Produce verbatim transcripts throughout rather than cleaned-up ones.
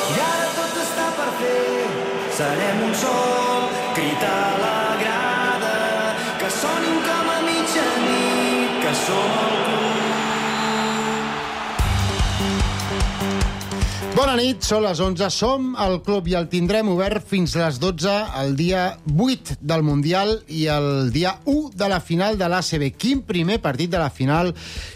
I ara tot està per fer. Serem un sol, crit a la grada, que sonin com a mitjanit, que som el club. Bona nit, són les onze, som al club i el tindrem obert fins les dotze el dia vuit del Mundial i el dia u de la final de l'A C B. Quin primer partit de la final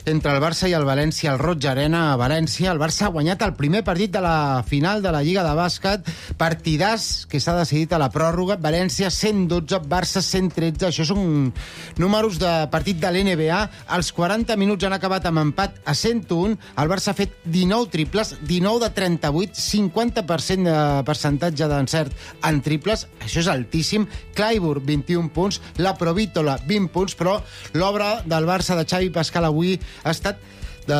entre el Barça i el València, el Roig Arena a València. El Barça ha guanyat el primer partit de la final de la Lliga de Bàsquet, partidàs que s'ha decidit a la pròrroga. València cent dotze, Barça cent tretze. Això són números de partit de l'N B A. Els quaranta minuts han acabat amb empat a cent un. El Barça ha fet dinou triples, dinou de trenta-vuit, cinquanta per cent de percentatge d'encert en triples. Això és altíssim. Clyburn, vint-i-un punts. La Provítola, vint punts. Però l'obra del Barça de Xavi Pascal avui ha estat de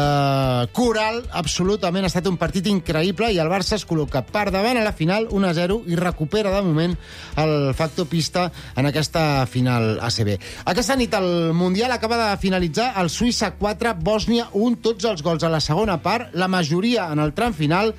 coral, absolutament. Ha estat un partit increïble i el Barça es col·loca per davant a la final un a zero i recupera de moment el factor pista en aquesta final A C B. Aquesta nit el Mundial acaba de finalitzar el Suïssa quatre, Bòsnia un, tots els gols a la segona part, la majoria en el tram final.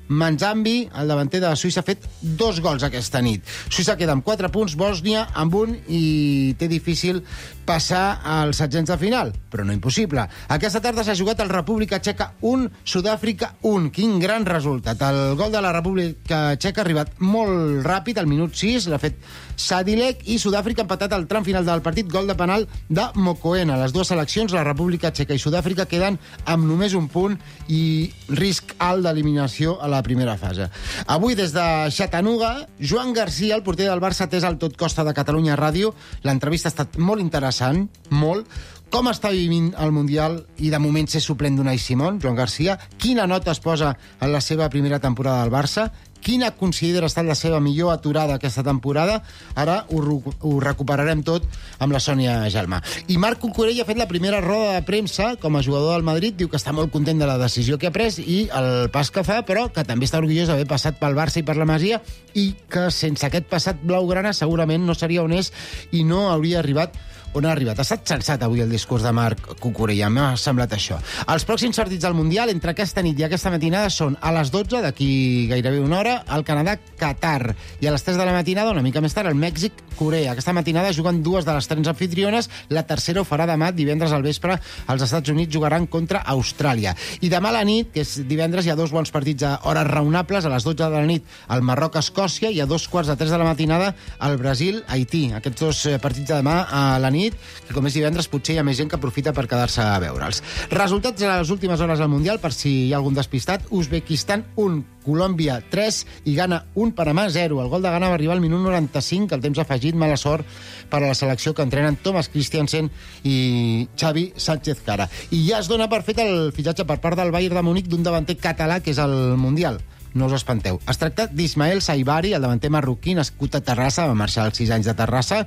Manzambi, el davanter de Suïssa, ha fet dos gols aquesta nit. Suïssa queda amb quatre punts, Bòsnia amb un i té difícil passar als setzents de final, però no impossible. Aquesta tarda s'ha jugat el República Txeca un, Sud-àfrica un. Quin gran resultat. El gol de la República Txeca ha arribat molt ràpid, al minut sis, l'ha fet Sadilek, i Sud-àfrica ha empatat al tram final del partit, gol de penal de Mokoena. Les dues seleccions, la República Txeca i Sud-àfrica, queden amb només un punt i risc alt d'eliminació a la primera fase. Avui, des de Chattanooga, Joan Garcia, el porter del Barça, atès al Tot Costa de Catalunya Ràdio. L'entrevista ha estat molt interessant, molt. Com està vivint el Mundial i de moment ser suplent d'Unai Simón, Joan Garcia? Quina nota es posa en la seva primera temporada del Barça? Quina considera ha estat la seva millor aturada aquesta temporada? Ara ho, ho recuperarem tot amb la Sònia Gelmà. I Marc Cucurella ha fet la primera roda de premsa com a jugador del Madrid. Diu que està molt content de la decisió que ha pres i el pas que fa, però que també està orgullós d'haver passat pel Barça i per la Masia i que sense aquest passat blaugrana segurament no seria on és i no hauria arribat on ha arribat. Ha estat sensat avui el discurs de Marc Cucurella, m'ha semblat això. Els pròxims partits del Mundial, entre aquesta nit i aquesta matinada, són a les dotze, d'aquí gairebé una hora, el Canadà-Qatar, i a les tres de la matinada, una mica més tard, el Mèxic-Corea. Aquesta matinada juguen dues de les tres anfitriones, la tercera ho farà demà, divendres al vespre, els Estats Units jugaran contra Austràlia. I demà a la nit, que és divendres, hi ha dos bons partits a hores raonables, a les dotze de la nit, el Marroc-Escòcia, i a dos quarts de tres de la matinada, el Brasil-Haití. Aquests dos partits de demà a la nit, que com és divendres potser hi ha més gent que aprofita per quedar-se a veure'ls. Resultats a les últimes hores al Mundial, per si hi ha algun despistat: Uzbekistan un, Colòmbia tres i Ghana un, Panamà zero. El gol de Ghana va arribar al minut noranta-cinc, el temps afegit, mala sort per a la selecció que entrenen Thomas Christiansen i Xavi Sánchez Cara. I ja es dona per fet el fitxatge per part del Bayern de Múnich d'un davanter català que és al Mundial. No us espanteu. Es tracta d'Ismael Saibari, el davanter marroquí, nascut a Terrassa, va marxar als sis anys de Terrassa,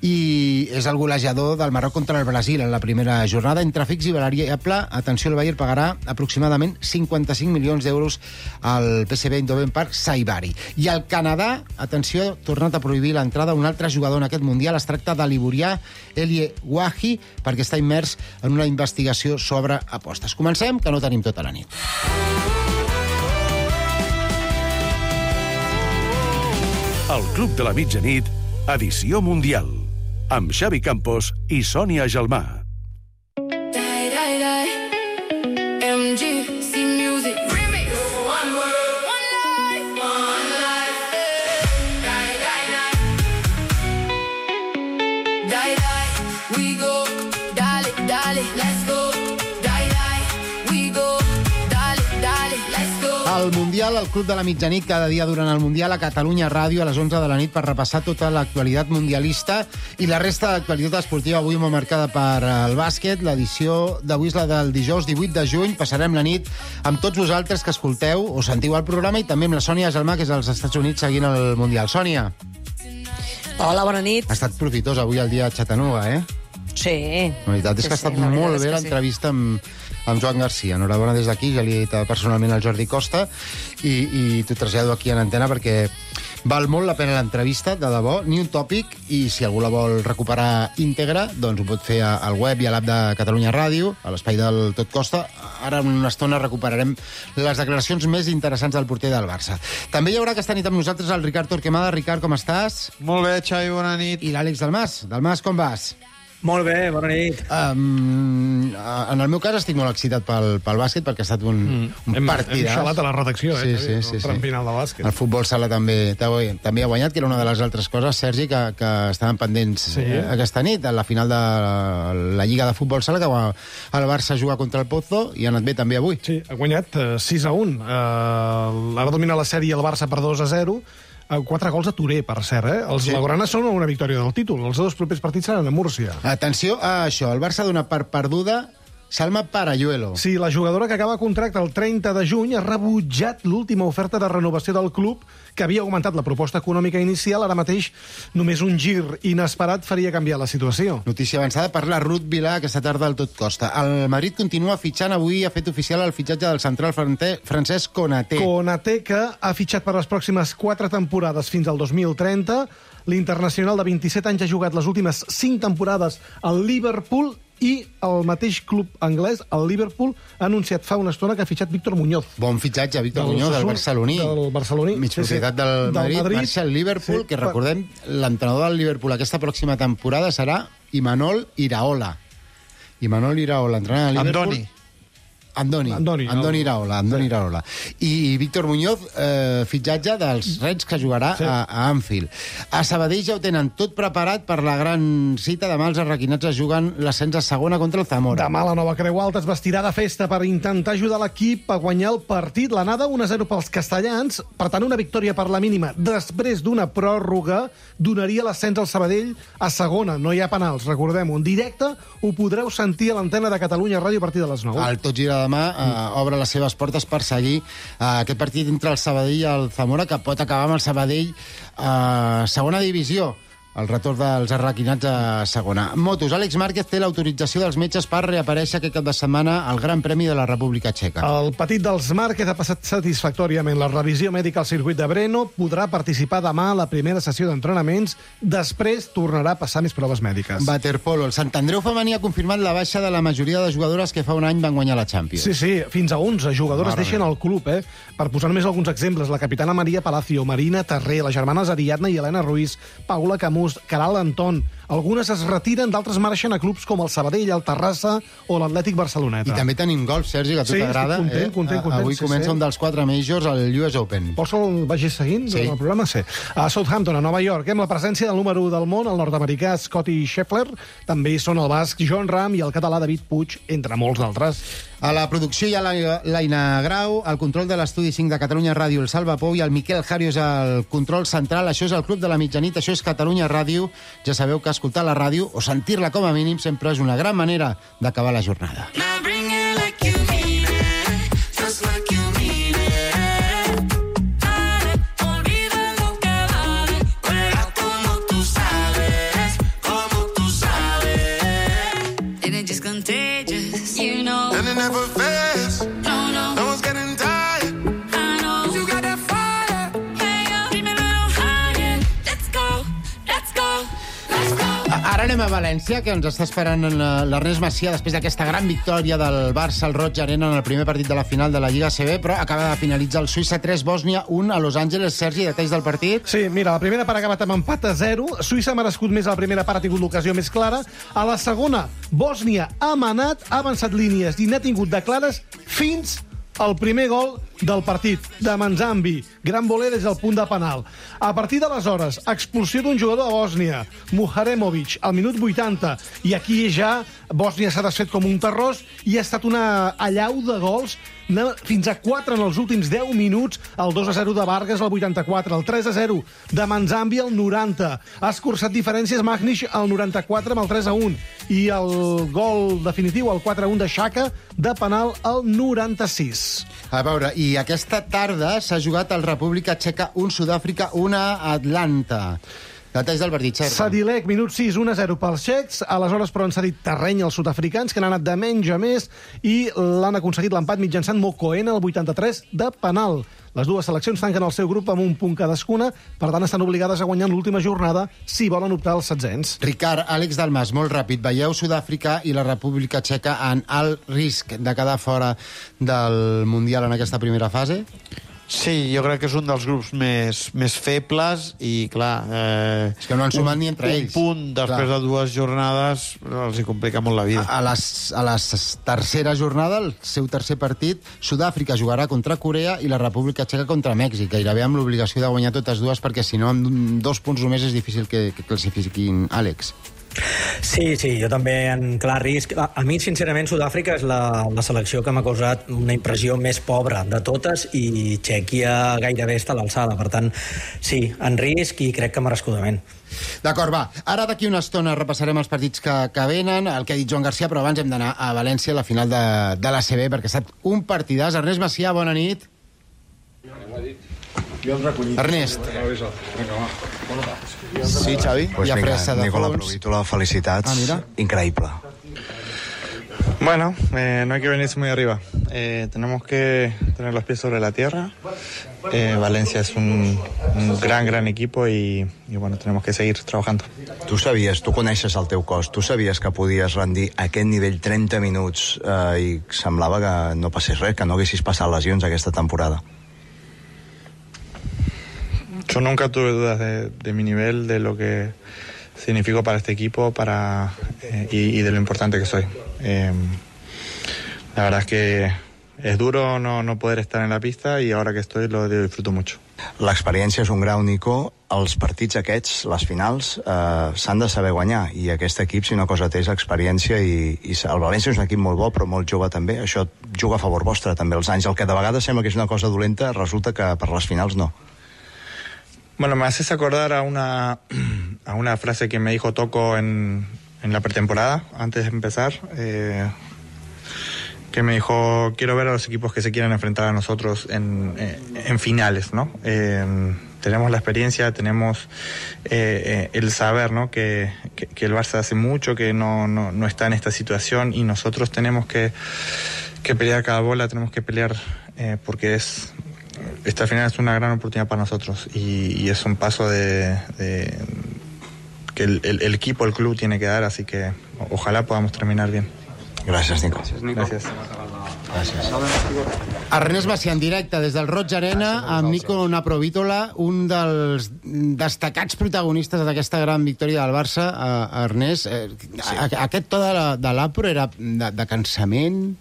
i és el golejador del Marroc contra el Brasil en la primera jornada. Entre fix i variable, atenció, el Bayern pagarà aproximadament cinquanta-cinc milions d'euros al P S V Eindhoven per Saibari. I el Canadà, atenció, ha tornat a prohibir l'entrada a un altre jugador en aquest Mundial. Es tracta de l'ivorià Elie Wahi, perquè està immers en una investigació sobre apostes. Comencem, que no tenim tota la nit. El Club de la Mitjanit, edició Mundial, amb Xavi Campos i Sònia Gelmà. El Mundial, el Club de la Mitjanit, cada dia durant el Mundial a Catalunya Ràdio a les onze de la nit per repassar tota l'actualitat mundialista i la resta d'actualitat esportiva avui molt marcada per el bàsquet. L'edició d'avui és la del dijous divuit de juny. Passarem la nit amb tots vosaltres que escolteu o sentiu el programa i també amb la Sònia Gelmà, que és als Estats Units seguint el Mundial. Sònia. Hola, bona nit. Ha estat profitós avui el dia a Chattanooga, eh? Sí. La veritat és sí, que ha estat sí, la molt és bé que l'entrevista sí. amb, amb Joan Garcia. Enhorabona des d'aquí, ja li he dit personalment al Jordi Costa i, i t'ho trasllado aquí en antena perquè Val molt la pena l'entrevista, de debò, ni un tòpic, i si algú la vol recuperar íntegra, doncs ho pot fer al web i a l'app de Catalunya Ràdio, a l'espai del Tot Costa. Ara en una estona recuperarem les declaracions més interessants del porter del Barça. També hi haurà aquesta nit amb nosaltres el Ricard Torquemada. Ricard, com estàs? Molt bé, Xavi, bona nit. I l'Àlex Dalmas. Dalmas, com vas? Molt bé, bona nit. Um, en el meu cas estic molt excitat pel, pel bàsquet, perquè ha estat un, mm. un hem, partidàs. Hem xalat a la redacció, sí, eh? Sí, sí, el sí. final de bàsquet. El futbol sala també, també ha guanyat, que era una de les altres coses, Sergi, que, que estaven pendents sí. eh, aquesta nit, a la final de la Lliga de Futbol Sala, que va el Barça jugar contra el Pozo, i ha anat bé també avui. Sí, ha guanyat uh, sis a un. Uh, ara domina la sèrie el Barça per dos a zero. Quatre gols a Touré, per cert, eh? Els sí. Blaugrana són una victòria del títol. Els dos propers partits seran a Múrcia. Atenció a això. El Barça dona per perduda Salma Parayuelo. Sí, la jugadora que acaba contracte el trenta de juny ha rebutjat l'última oferta de renovació del club, que havia augmentat la proposta econòmica inicial. Ara mateix només un gir inesperat faria canviar la situació. Notícia avançada per la Ruth Vilà aquesta tarda al Tot Costa. El Madrid continua fitxant. Avui ha fet oficial el fitxatge del central francès Konaté. Konaté, que ha fitxat per les pròximes quatre temporades fins al dos mil trenta. L'internacional de vint-i-set anys ha jugat les últimes cinc temporades al Liverpool, i el mateix club anglès, el Liverpool, ha anunciat fa una estona que ha fitxat Víctor Muñoz. Bon fitxatge, Víctor del Muñoz, del barceloní. Del barceloní. Mig propietat sí, sí. del, del Madrid, Madrid. Marxa al Liverpool, sí, que recordem, l'entrenador del Liverpool aquesta pròxima temporada serà Imanol Iraola. Imanol Iraola, entrenador del Liverpool. Andoni. Andoni, Andoni, Andoni Iraola, Andoni Iraola. I Víctor Muñoz, eh, fitxatge dels Reds, que jugarà sí. a, a Anfield. A Sabadell ja ho tenen tot preparat per la gran cita. Demà els arraquinats es juguen l'ascens a segona contra el Zamora. Demà la Nova Creu Alta es vestirà de festa per intentar ajudar l'equip a guanyar el partit. L'anada un a zero pels castellans, per tant una victòria per la mínima després d'una pròrroga donaria l'ascens al Sabadell a segona. No hi ha penals, recordem-ho. En directe ho podreu sentir a l'antena de Catalunya Ràdio a partir de les nou. El Tot Gira demà eh, obre les seves portes per seguir eh, aquest partit entre el Sabadell i el Zamora, que pot acabar amb el Sabadell a eh, segona divisió. El retorn dels arraquinats a segona. Motos. Àlex Márquez té l'autorització dels metges per reaparèixer aquest cap de setmana al Gran Premi de la República Txeca. El petit dels Márquez ha passat satisfactòriament la revisió mèdica al circuit de Brno, podrà participar demà a la primera sessió d'entrenaments, després tornarà a passar més proves mèdiques. Waterpolo. El Sant Andreu femení ha confirmat la baixa de la majoria de jugadores que fa un any van guanyar la Champions. Sí, sí, fins a onze jugadores Marre. deixen el club, eh? Per posar només alguns exemples, la capitana Maria Palacio, Marina Terré, les germanes Ariadna i Helena Ruiz, Paula Camus, Caral Anton. Algunes es retiren, d'altres marxen a clubs com el Sabadell, el Terrassa o l'Atlètic Barceloneta. I també tenim golf, Sergi, que a tu sí, t'agrada. Content, eh? content, content. Avui sí, comença sí. un dels quatre majors, el U S Open. Vols que el vagis seguint sí. el programa? Sí. A Southampton, a Nova York, amb la presència del número u del món, el nord-americà Scotty Scheffler, també hi són el basc John Ram i el català David Puig, entre molts d'altres. A la producció hi ha l'Aina Grau, el control de l'Estudi cinc de Catalunya Ràdio, el Salva Pou, i el Miquel Jario és el control central. Això és el Club de la Mitjanit, això és Catalunya Ràdio. Ja sabeu que escoltar la ràdio, o sentir-la com a mínim, sempre és una gran manera d'acabar la jornada. And it never fails. No, no. No one's getting tired. I know. You got that fire. Hey, yo. Keep me a little higher. Let's go. Let's go. Let's go. Ara anem a València, que ens està esperant l'Ernest Macià després d'aquesta gran victòria del Barça al Roig Arena en el primer partit de la final de la Lliga A C B, però acaba de finalitzar el Suïssa tres, Bòsnia un a Los Angeles. Sergi, detalls del partit? Sí, mira, la primera part ha acabat amb empat a zero. Suïssa ha merescut més a la primera part, ha tingut l'ocasió més clara. A la segona, Bòsnia ha manat, ha avançat línies i n'ha tingut de clares fins al primer gol del partit, de Manzambi. Gran voler des del punt de penal. A partir d'aleshores, expulsió d'un jugador de Bòsnia, Muharemovic, al minut vuitanta. I aquí ja Bòsnia s'ha desfet com un terrós i ha estat una allau de gols, fins a quatre en els últims deu minuts. El dos a zero de Vargas al vuitanta-quatre, el tres a zero de Manzambi al noranta. Ha escurçat diferències Magnish al noranta-quatre amb el tres a un. I el gol definitiu, el quatre a un de Xhaka, de penal al noranta-sis. A veure, i aquesta tarda s'ha jugat al República Txeca un, Sud-àfrica un a Atlanta. Detalls del partit, Sergi. Sadilek, minut sis, un a zero pels txecs. Aleshores, però, han cedit terreny als sud-africans, que han anat de menys a més, i l'han aconseguit l'empat mitjançant Mokoena al vuitanta-tres de penal. Les dues seleccions tanquen el seu grup amb un punt cadascuna, per tant estan obligades a guanyar en l'última jornada si volen optar als setzents. Ricard, Àlex Dalmas, molt ràpid. Veieu Sud-àfrica i la República Txeca en alt risc de quedar fora del Mundial en aquesta primera fase? Sí, jo crec que és un dels grups més, més febles i, clar... Eh, és que no han sumat ni entre un, ells. Un punt després clar. de dues jornades els hi complica molt la vida. A, a, les, a la tercera jornada, el seu tercer partit, Sud-àfrica jugarà contra Corea i la República Txeca contra Mèxic, gairebé amb l'obligació de guanyar totes dues, perquè si no, amb dos punts només és difícil que, que classifiquin Àlex. Sí, sí, jo també en clar risc. A, a mi, sincerament, Sud-àfrica és la, la selecció que m'ha causat una impressió més pobra de totes i Txèquia gairebé està a l'alçada. Per tant, sí, en risc i crec que merescudament. D'acord, va. Ara d'aquí una estona repassarem els partits que, que venen, el que ha dit Joan Garcia, però abans hem d'anar a València a la final de, de l'A C B, perquè ha estat un partidàs. Ernest Macià, bona nit. Ernest. Sí, Xavi. Pues ja vinga, pressa de Nicola Provítola, felicitats. Ah, mira. Increíble. Bueno, eh, no hay que venirse muy arriba. Eh, tenemos que tener los pies sobre la tierra. Eh, Valencia es un, un gran, gran equipo y, y bueno, tenemos que seguir trabajando. Tu sabies, tu coneixes el teu cos, tu sabies que podies rendir a aquest nivell trenta minuts eh, i semblava que no passés res, que no haguessis passat lesions aquesta temporada. Yo nunca tuve dudas de, de mi nivel, de lo que significo para este equipo para eh, y, y de lo importante que soy. Eh, la verdad es que es duro no, no poder estar en la pista y ahora que estoy lo disfruto mucho. L'experiència és un grau, Nico. Els partits aquests, les finals, eh, s'han de saber guanyar i aquest equip, si una cosa té, és experiència i, i el València és un equip molt bo però molt jove també. Això juga a favor vostre també els anys. El que de vegades sembla que és una cosa dolenta resulta que per les finals no. Bueno, me haces acordar a una, a una frase que me dijo Toco en, en la pretemporada, antes de empezar, eh, que me dijo, quiero ver a los equipos que se quieran enfrentar a nosotros en, en, en finales, ¿no? Eh, tenemos la experiencia, tenemos eh, el saber, ¿no? Que, que, que el Barça hace mucho que no, no, no está en esta situación y nosotros tenemos que, que pelear cada bola, tenemos que pelear eh, porque es... Esta final es una gran oportunidad para nosotros y, y es un paso de, de que el, el, el equipo, el club tiene que dar, así que ojalá podamos terminar bien. Gràcies, Nico. Gràcies. Gràcies. Ernest Macià en directe des del Roig Arena amb Nico Provítola, un dels destacats protagonistes d'aquesta gran victòria del Barça. Uh, Ernest, eh, sí. Aquest to de l'Apro era de, de cansament?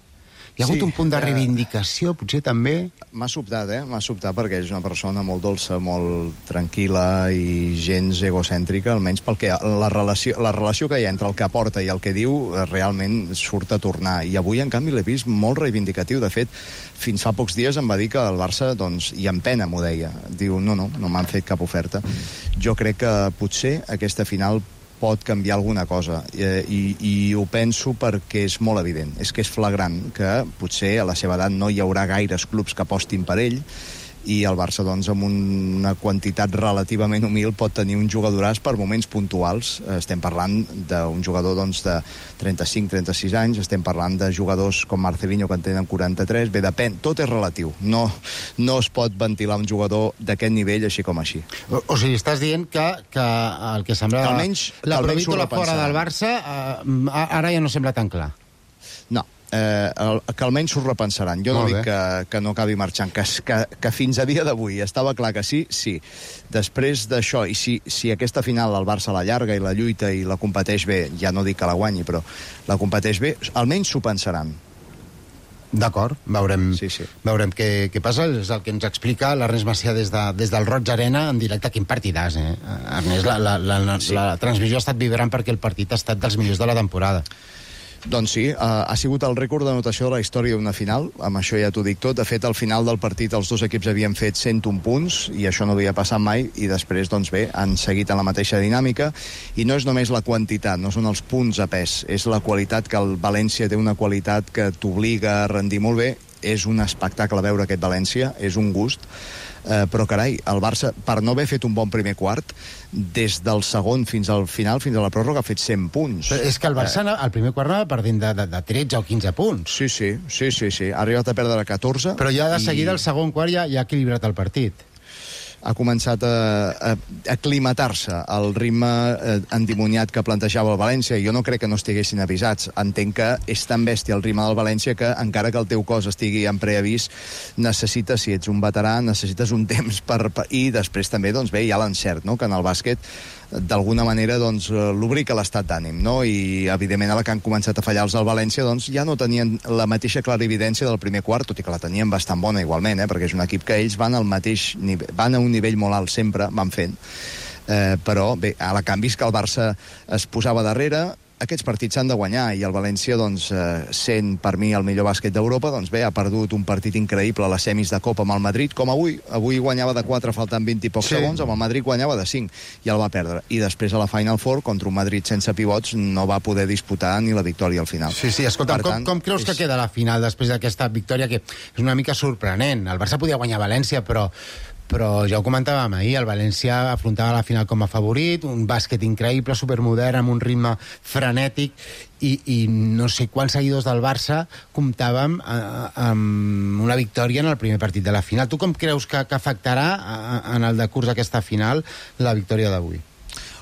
Hi ha hagut sí, un punt de reivindicació, potser també? M'ha sobtat, eh? M'ha sobtat perquè és una persona molt dolça, molt tranquil·la i gens egocèntrica, almenys pel que la relació, la relació que hi ha entre el que aporta i el que diu realment surt a tornar. I avui, en canvi, l'he vist molt reivindicatiu. De fet, fins fa pocs dies em va dir que el Barça, doncs, i amb pena m'ho deia. Diu, no, no, no m'han fet cap oferta. Jo crec que potser aquesta final pot canviar alguna cosa eh, i, i ho penso perquè és molt evident, és que és flagrant que potser a la seva edat no hi haurà gaires clubs que apostin per ell i el Barça, doncs, amb una quantitat relativament humil pot tenir un jugadoràs per moments puntuals. Estem parlant d'un jugador, doncs, de trenta-cinc trenta-sis anys, estem parlant de jugadors com Marcelinho que en tenen quaranta-tres, bé, depèn, tot és relatiu. No, no es pot ventilar un jugador d'aquest nivell així com així. O, o sigui, estàs dient que, que el que semblava almenys, la Provítola fora del Barça eh, ara ja no sembla tan clar. No. Eh, el, que almenys s'ho repensaran. Jo no dic que, que no acabi marxant, que, que, que fins a dia d'avui estava clar que sí, sí. Després d'això, i si, si aquesta final el Barça la llarga i la lluita i la competeix bé, ja no dic que la guanyi, però la competeix bé, almenys s'ho pensaran. D'acord, veurem, sí, sí. veurem què, què passa. És el que ens explica l'Ernest Macià des, de, des del Roig Arena en directe. Quin partidàs, eh? Ernest, la, la, la, la, sí. la transmissió ha estat vibrant perquè el partit ha estat dels millors de la temporada. Doncs sí, uh, ha sigut el rècord d'anotació de la història d'una final, amb això ja t'ho dic tot. De fet, al final del partit els dos equips havien fet cent un punts, i això no havia passat mai, i després, doncs bé, han seguit en la mateixa dinàmica, i no és només la quantitat, no són els punts a pes, és la qualitat, que el València té una qualitat que t'obliga a rendir molt bé, és un espectacle veure aquest València, és un gust, eh, però carai, el Barça, per no haver fet un bon primer quart, des del segon fins al final, fins a la pròrroga, ha fet cent punts. Però és que el Barça, eh... al primer quart, anava perdent de, de, de tretze o quinze punts. Sí, sí, sí, sí, sí. Ha arribat a perdre catorze. Però ja de i... seguida, el segon quart, ja, ja ha equilibrat el partit. Ha començat a, a, a aclimatar-se al ritme eh, endimoniat que plantejava el València. Jo no crec que no estiguessin avisats. Entenc que és tan bèstia el ritme del València que, encara que el teu cos estigui en preavís, necessites, si ets un veterà, necessites un temps per... per I després també, doncs bé, hi ha l'encert, no?, que en el bàsquet d'alguna manera doncs, lubrica l'estat d'ànim, no? I evidentment ara que han començat a fallar els del València doncs ja no tenien la mateixa clarividència del primer quart, tot i que la tenien bastant bona igualment, eh? Perquè és un equip que ells van al mateix nivell, van a un nivell molt alt sempre, van fent, eh, però bé, a la canvi és que el Barça es posava darrere. Aquests partits s'han de guanyar i el València, doncs, eh, sent per mi el millor bàsquet d'Europa, doncs bé, ha perdut un partit increïble a les semis de Copa amb el Madrid, com avui. Avui guanyava de quatre faltant vint i pocs sí. segons, amb el Madrid guanyava de cinc i el va perdre. I després a la Final Four, contra un Madrid sense pivots, no va poder disputar ni la victòria al final. Sí, sí, escolta, com, tant, com creus és... que queda la final després d'aquesta victòria, que és una mica sorprenent? El Barça podia guanyar València, però però ja ho comentàvem ahir, el València afrontava la final com a favorit, un bàsquet increïble, supermodern, amb un ritme frenètic, i, i no sé quants seguidors del Barça comptàvem eh, amb una victòria en el primer partit de la final. Tu com creus que, que afectarà eh, en el decurs d'aquesta final la victòria d'avui?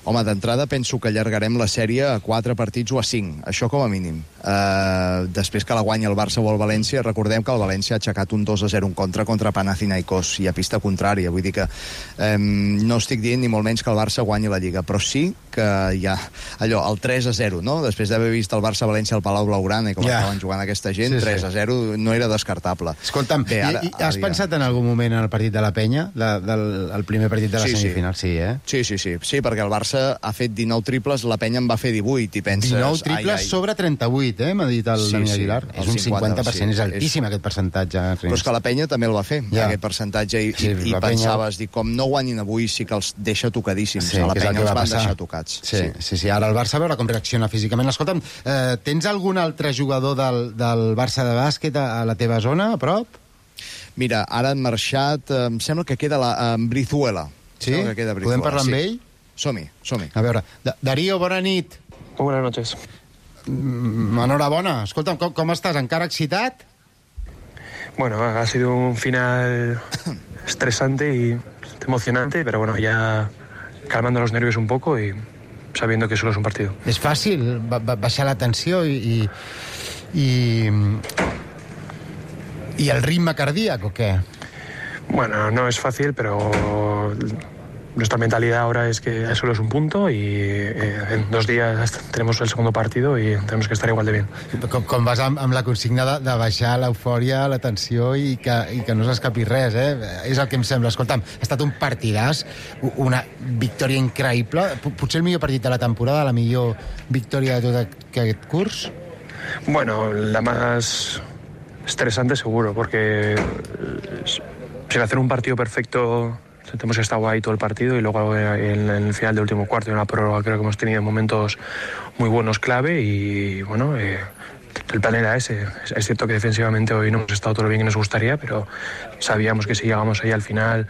Home, d'entrada penso que allargarem la sèrie a quatre partits o a cinc, això com a mínim. Uh, després que la guanya el Barça o el València, recordem que el València ha aixecat un dos a zero en contra contra Panathinaikos i a pista contrària, vull dir que um, no estic dient ni molt menys que el Barça guanyi la Lliga, però sí que hi ha allò, el tres a zero, no? Després d'haver vist el Barça-València al Palau Blaugrana i com yeah. estaven jugant aquesta gent, sí, tres a zero no era descartable. Escolta'm, Bé, ara, i, i has ara pensat ja... en algun moment en el partit de la Penya, de, del el primer partit de la sí, semifinal? Sí. sí, eh? Sí, sí, sí, sí, perquè el Barça ha fet dinou triples, la Penya en va fer divuit, i penses... dinou triples ai, ai. sobre trenta-vuit, eh? M'ha dit el sí, Dani sí, Aguilar. És un cinquanta per cent, sí, és altíssim és... aquest percentatge. Però és que la Penya també el va fer, ja. aquest percentatge, i, sí, i pensaves, Penya... dic, com no guanyin avui sí que els deixa tocadíssims. Sí, a la Penya els van passar. deixar tocats. Sí, sí, sí, sí. Ara el Barça a veure com reacciona físicament. Escolta'm, eh, tens algun altre jugador del, del Barça de bàsquet a, a la teva zona, a prop? Mira, ara han marxat, eh, em sembla que queda la, en Brizuela. Sí? Que queda Brizuela. Podem parlar amb sí. ell? Som-hi, som-hi. A veure, da Darío, bona nit. Buenas noches. Mm, enhorabona. Escolta'm, com, com estàs? Encara excitat? Bueno, ha sido un final estresante y emocionante, pero bueno, ya calmando los nervios un poco y sabiendo que solo es un partido. És fàcil ba ba baixar la tensió i, i, i, i el ritme cardíac, o què? Bueno, no es fácil, pero... Nuestra mentalidad ahora es que solo es un punto y eh, en dos días tenemos el segundo partido y tenemos que estar igual de bien. Com, com vas amb, amb la consigna de, de baixar l'eufòria, la tensió i que, i que no s'escapi res, eh? És el que em sembla. Escolta'm, ha estat un partidàs, una victòria increïble, potser el millor partit de la temporada, la millor victòria de tot aquest curs? Bueno, la más estresante seguro, porque sin hacer un partido perfecto... Hemos estado ahí todo el partido y luego en, en el final del último cuarto y en la prórroga creo que hemos tenido momentos muy buenos clave y bueno, eh, el plan era ese. Es, es cierto que defensivamente hoy no hemos estado todo lo bien que nos gustaría, pero sabíamos que si llegamos ahí al final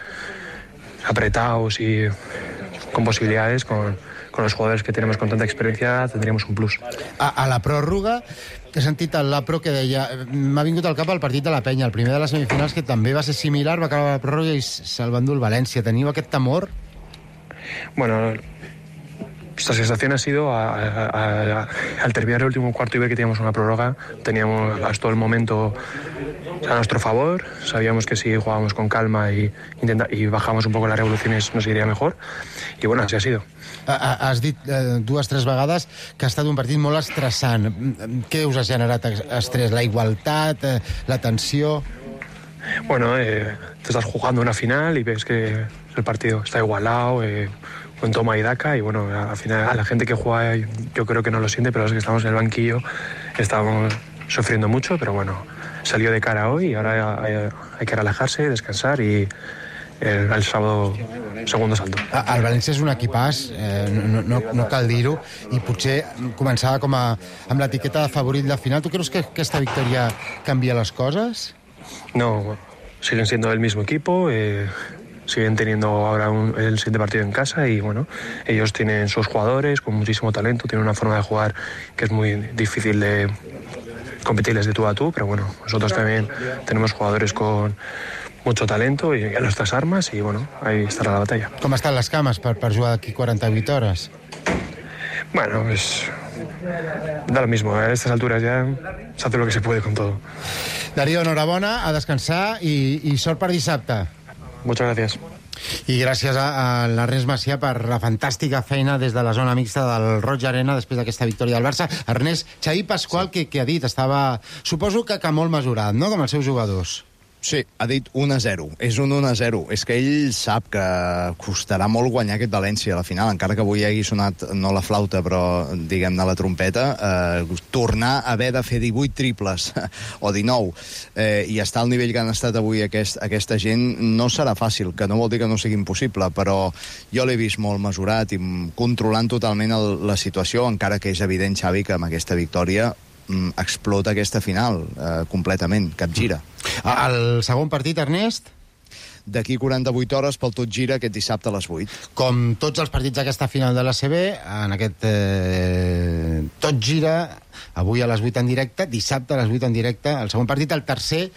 apretados y con posibilidades, con, con los jugadores que tenemos con tanta experiencia, tendríamos un plus. A, a la pròrroga he sentit el Lapro que deia, m'ha vingut al cap el partit de la Penya, el primer de les semifinals, que també va ser similar, va acabar la pròrroga i se'l va endur el València. Teniu aquest temor? Bueno, nuestra sensación ha sido a, a, a, al terminar el último cuarto y ver que teníamos una prórroga, teníamos hasta todo el momento a nuestro favor, sabíamos que si jugábamos con calma y, intenta, y bajamos un poco las revoluciones nos iría mejor, y bueno, así ha sido. Has dit eh, dues, tres vegades que ha estat un partit molt estressant. Què us ha generat estrès? La igualtat, eh, la tensió? Bueno, eh, te estás jugando una final y ves que el partido está igualado, eh, con toma y daca, y bueno, al final a la gente que juega yo creo que no lo siente, pero los que estamos en el banquillo estábamos sufriendo mucho, pero bueno, salió de cara hoy y ahora hay, hay que relajarse, descansar y el, el sábado segundo salto. El València és un equipàs, eh, no, no, no cal dir-ho, i potser començava com a, amb l'etiqueta de favorit la final. Tu creus que aquesta victòria canvia les coses? No, siguen siendo el mismo equipo, eh, siguen teniendo ahora un, el siguiente partido en casa y bueno, ellos tienen sus jugadores con muchísimo talento, tienen una forma de jugar que es muy difícil de competirles de tú a tú, pero bueno, nosotros también tenemos jugadores con mucho talento y a nuestras armas y bueno, ahí estará la batalla. Com estan les cames per, per jugar d'aquí quaranta-vuit hores? Bueno, pues da lo mismo, a estas alturas ya se hace lo que se puede con todo. Darío, enhorabona, a descansar i, i sort per dissabte. Muchas gracias. I gràcies a, a l'Ernest Macià per la fantàstica feina des de la zona mixta del Roig Arena després d'aquesta victòria del Barça. Ernest, Xavi Pasqual, sí. que, que ha dit, estava, suposo que, que molt mesurat, no?, com els seus jugadors. Sí, ha dit un a zero. És un un a zero. És que ell sap que costarà molt guanyar aquest València a la final, encara que avui hagi sonat no la flauta, però, diguem-ne, la trompeta, eh, tornar a haver de fer divuit triples o dinou eh, i estar al nivell que han estat avui aquest, aquesta gent no serà fàcil, que no vol dir que no sigui impossible, però jo l'he vist molt mesurat i controlant totalment el, la situació, encara que és evident, Xavi, que amb aquesta victòria explota aquesta final eh, completament, capgira. El segon partit, Ernest? D'aquí quaranta-vuit hores pel Tot Gira aquest dissabte a les vuit. Com tots els partits d'aquesta final de l'A C B, en aquest eh, Tot Gira, avui a les vuit en directe, dissabte a les vuit en directe, el segon partit, el tercer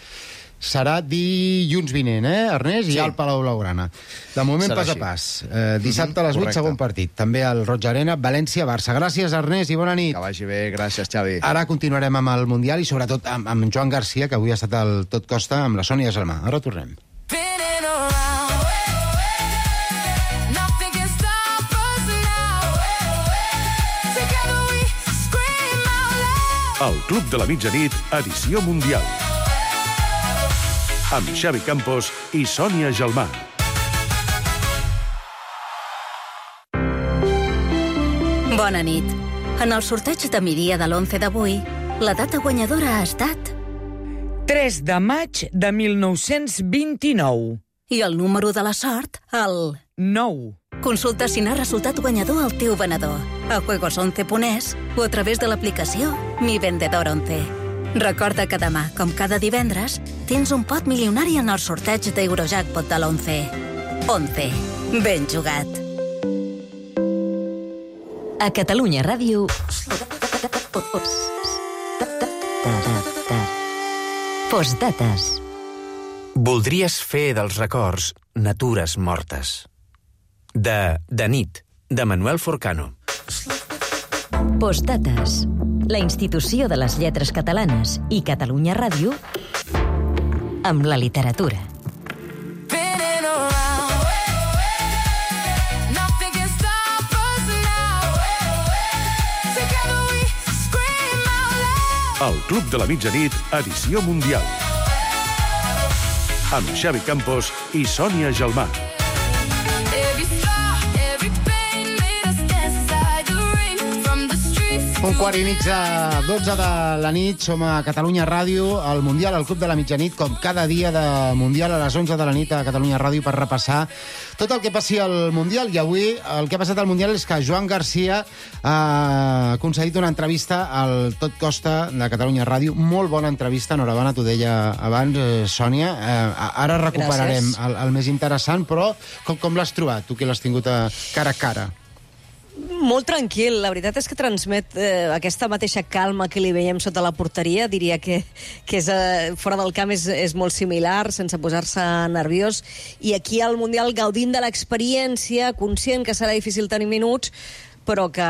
serà dilluns vinent, eh, Ernest? Sí. I al Palau Blaugrana. De moment, serà pas així. a pas. Eh, dissabte a les vuit, segon partit. També al Roig Arena, València-Barça. Gràcies, Ernest, i bona nit. Que vagi bé, gràcies, Xavi. Ara continuarem amb el Mundial i sobretot amb, amb Joan Garcia, que avui ha estat al Tot Costa amb la Sònia Gelmà. Ara tornem. El Club de la Mitjanit, edició mundial. Amb Xavi Campos i Sònia Gelmà. Bona nit. En el sorteig de migdia de l'onze d'avui, la data guanyadora ha estat... tres de maig de mil nou-cents vint-i-nou. I el número de la sort, el... nou. Consulta si n'ha resultat guanyador el teu venedor a juegos once punt es o a través de l'aplicació Mi Vendedor once. Recorda que demà, com cada divendres, tens un pot milionari en el sorteig d'Eurojackpot de l'onze. once. Ben jugat. A Catalunya Ràdio... Postdates. Voldries fer dels records natures mortes. De De nit, de Manuel Forcano. Postdates. La institució de les lletres catalanes i Catalunya Ràdio amb la literatura. El Club de la Mitjanit, edició mundial. Amb Xavi Campos i Sònia Gelmà. Un quart i mig de dotze de la nit, som a Catalunya Ràdio, al Mundial, al Club de la Mitjanit, com cada dia de Mundial a les onze de la nit a Catalunya Ràdio per repassar tot el que passi al Mundial. I avui el que ha passat al Mundial és que Joan Garcia ha concedit una entrevista al Tot Costa de Catalunya Ràdio. Molt bona entrevista, enhorabona, t'ho deia abans, eh, Sònia. Eh, ara recuperarem el, el més interessant, però com, com l'has trobat, tu que l'has tingut a cara a cara? Molt tranquil, la veritat és que transmet eh, aquesta mateixa calma que li veiem sota la porteria, diria que, que és, eh, fora del camp és, és molt similar, sense posar-se nerviós, i aquí al Mundial gaudint de l'experiència, conscient que serà difícil tenir minuts, però que,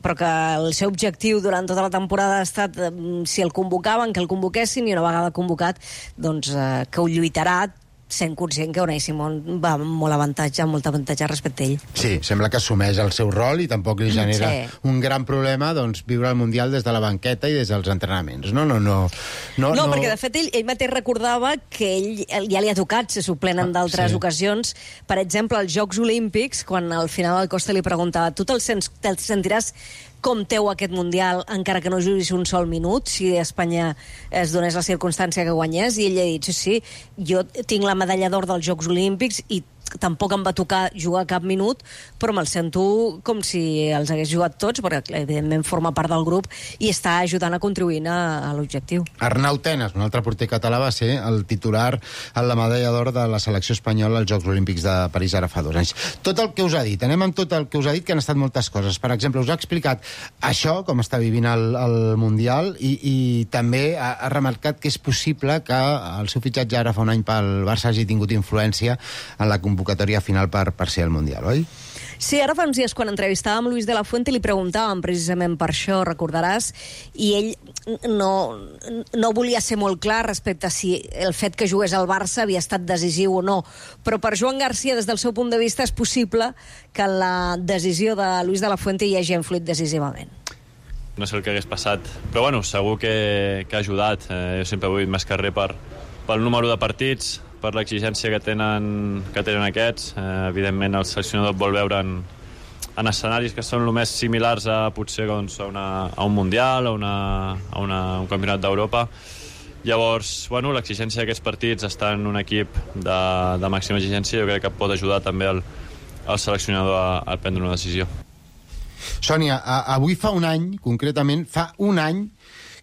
però que el seu objectiu durant tota la temporada ha estat, si el convocaven, que el convoquessin, i una vegada convocat, doncs eh, que ho lluitarà, sent conscient que Unai Simón va amb molt avantatge, amb molt avantatge respecte a ell. Sí, sembla que assumeix el seu rol i tampoc li genera sí. un gran problema doncs, viure el Mundial des de la banqueta i des dels entrenaments. No, no, no. No, no, no... perquè de fet ell, ell mateix recordava que ell ja li ha tocat ser suplent en d'altres sí. ocasions. Per exemple, als Jocs Olímpics, quan al final el Costa li preguntava tu te'l sents, te'l sentiràs com teu aquest Mundial, encara que no juguis un sol minut, si Espanya es donés la circumstància que guanyés, i ell ha dit, sí, sí, jo tinc la medalla d'or dels Jocs Olímpics i tampoc em va tocar jugar cap minut, però me'l sento com si els hagués jugat tots, perquè evidentment forma part del grup i està ajudant a contribuir a, a l'objectiu. Arnau Tenas, un altre porter català, va ser el titular en la medalla d'or de la selecció espanyola als Jocs Olímpics de París ara fa dos anys. Tot el que us ha dit, anem amb tot el que us ha dit, que han estat moltes coses. Per exemple, us ha explicat això, com està vivint el, el Mundial, i, i també ha, ha remarcat que és possible que el seu fitxatge ara fa un any pel Barça hagi tingut influència en la convocatòria final per, per ser el Mundial, oi? Sí, ara fa uns dies, quan entrevistàvem Luis de la Fuente, li preguntàvem precisament per això, recordaràs, i ell no, no volia ser molt clar respecte a si el fet que jugués al Barça havia estat decisiu o no. Però per Joan Garcia, des del seu punt de vista, és possible que la decisió de Luis de la Fuente hi hagi influït decisivament. No sé el que hagués passat, però bueno, segur que, que ha ajudat. Eh, jo sempre he vull més carrer per, pel número de partits, per l'exigència que tenen, que tenen aquests. Eh, evidentment, el seleccionador vol veure en, en escenaris que són el més similars a potser doncs, a, una, a un Mundial, a, una, a una, un campionat d'Europa. Llavors, bueno, l'exigència d'aquests partits està en un equip de, de màxima exigència. Jo crec que pot ajudar també el, el seleccionador a, a prendre una decisió. Sònia, a, avui fa un any, concretament, fa un any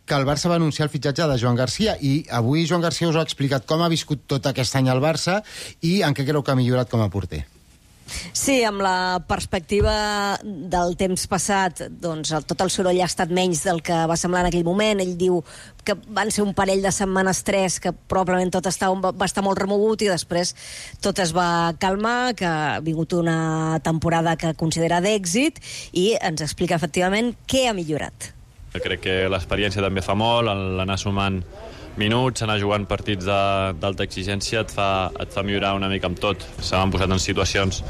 que el Barça va anunciar el fitxatge de Joan Garcia, i avui Joan Garcia us ha explicat com ha viscut tot aquest any al Barça i en què creu que ha millorat com a porter. Sí, amb la perspectiva del temps passat, doncs el, tot el soroll ha estat menys del que va semblar en aquell moment. Ell diu que van ser un parell de setmanes, tres, que probablement tot estava, va estar molt remogut i després tot es va calmar, que ha vingut una temporada que considera d'èxit i ens explica efectivament què ha millorat. Crec que l'experiència també fa molt, l'anar sumant minuts, anar jugant partits d'alta exigència et fa, et fa millorar una mica amb tot. Se m'han posat en situacions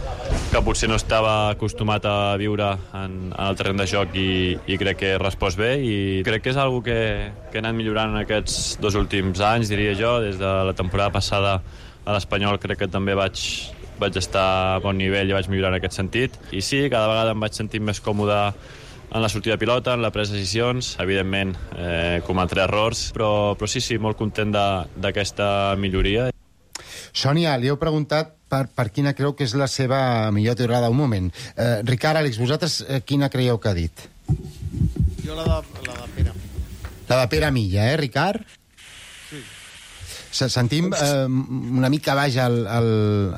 que potser no estava acostumat a viure en, en el terreny de joc i, i crec que he respost bé i crec que és algo que, que he anat millorant en aquests dos últims anys, diria jo. Des de la temporada passada a l'Espanyol crec que també vaig, vaig estar a bon nivell i vaig millorar en aquest sentit. I sí, cada vegada em vaig sentir més còmode en la sortida de pilota, en la presa de decisions. Evidentment, eh, cometré errors, però, però sí, sí, molt content d'aquesta milloria. Sònia, li heu preguntat per, per quina creu que és la seva millor teorada. Un moment. Eh, Ricard, Àlex, vosaltres eh, quina creieu que ha dit? Jo la de, la de Pere. La de Pere Milla, eh, Ricard? Sí. Sentim eh, una mica baix el, el,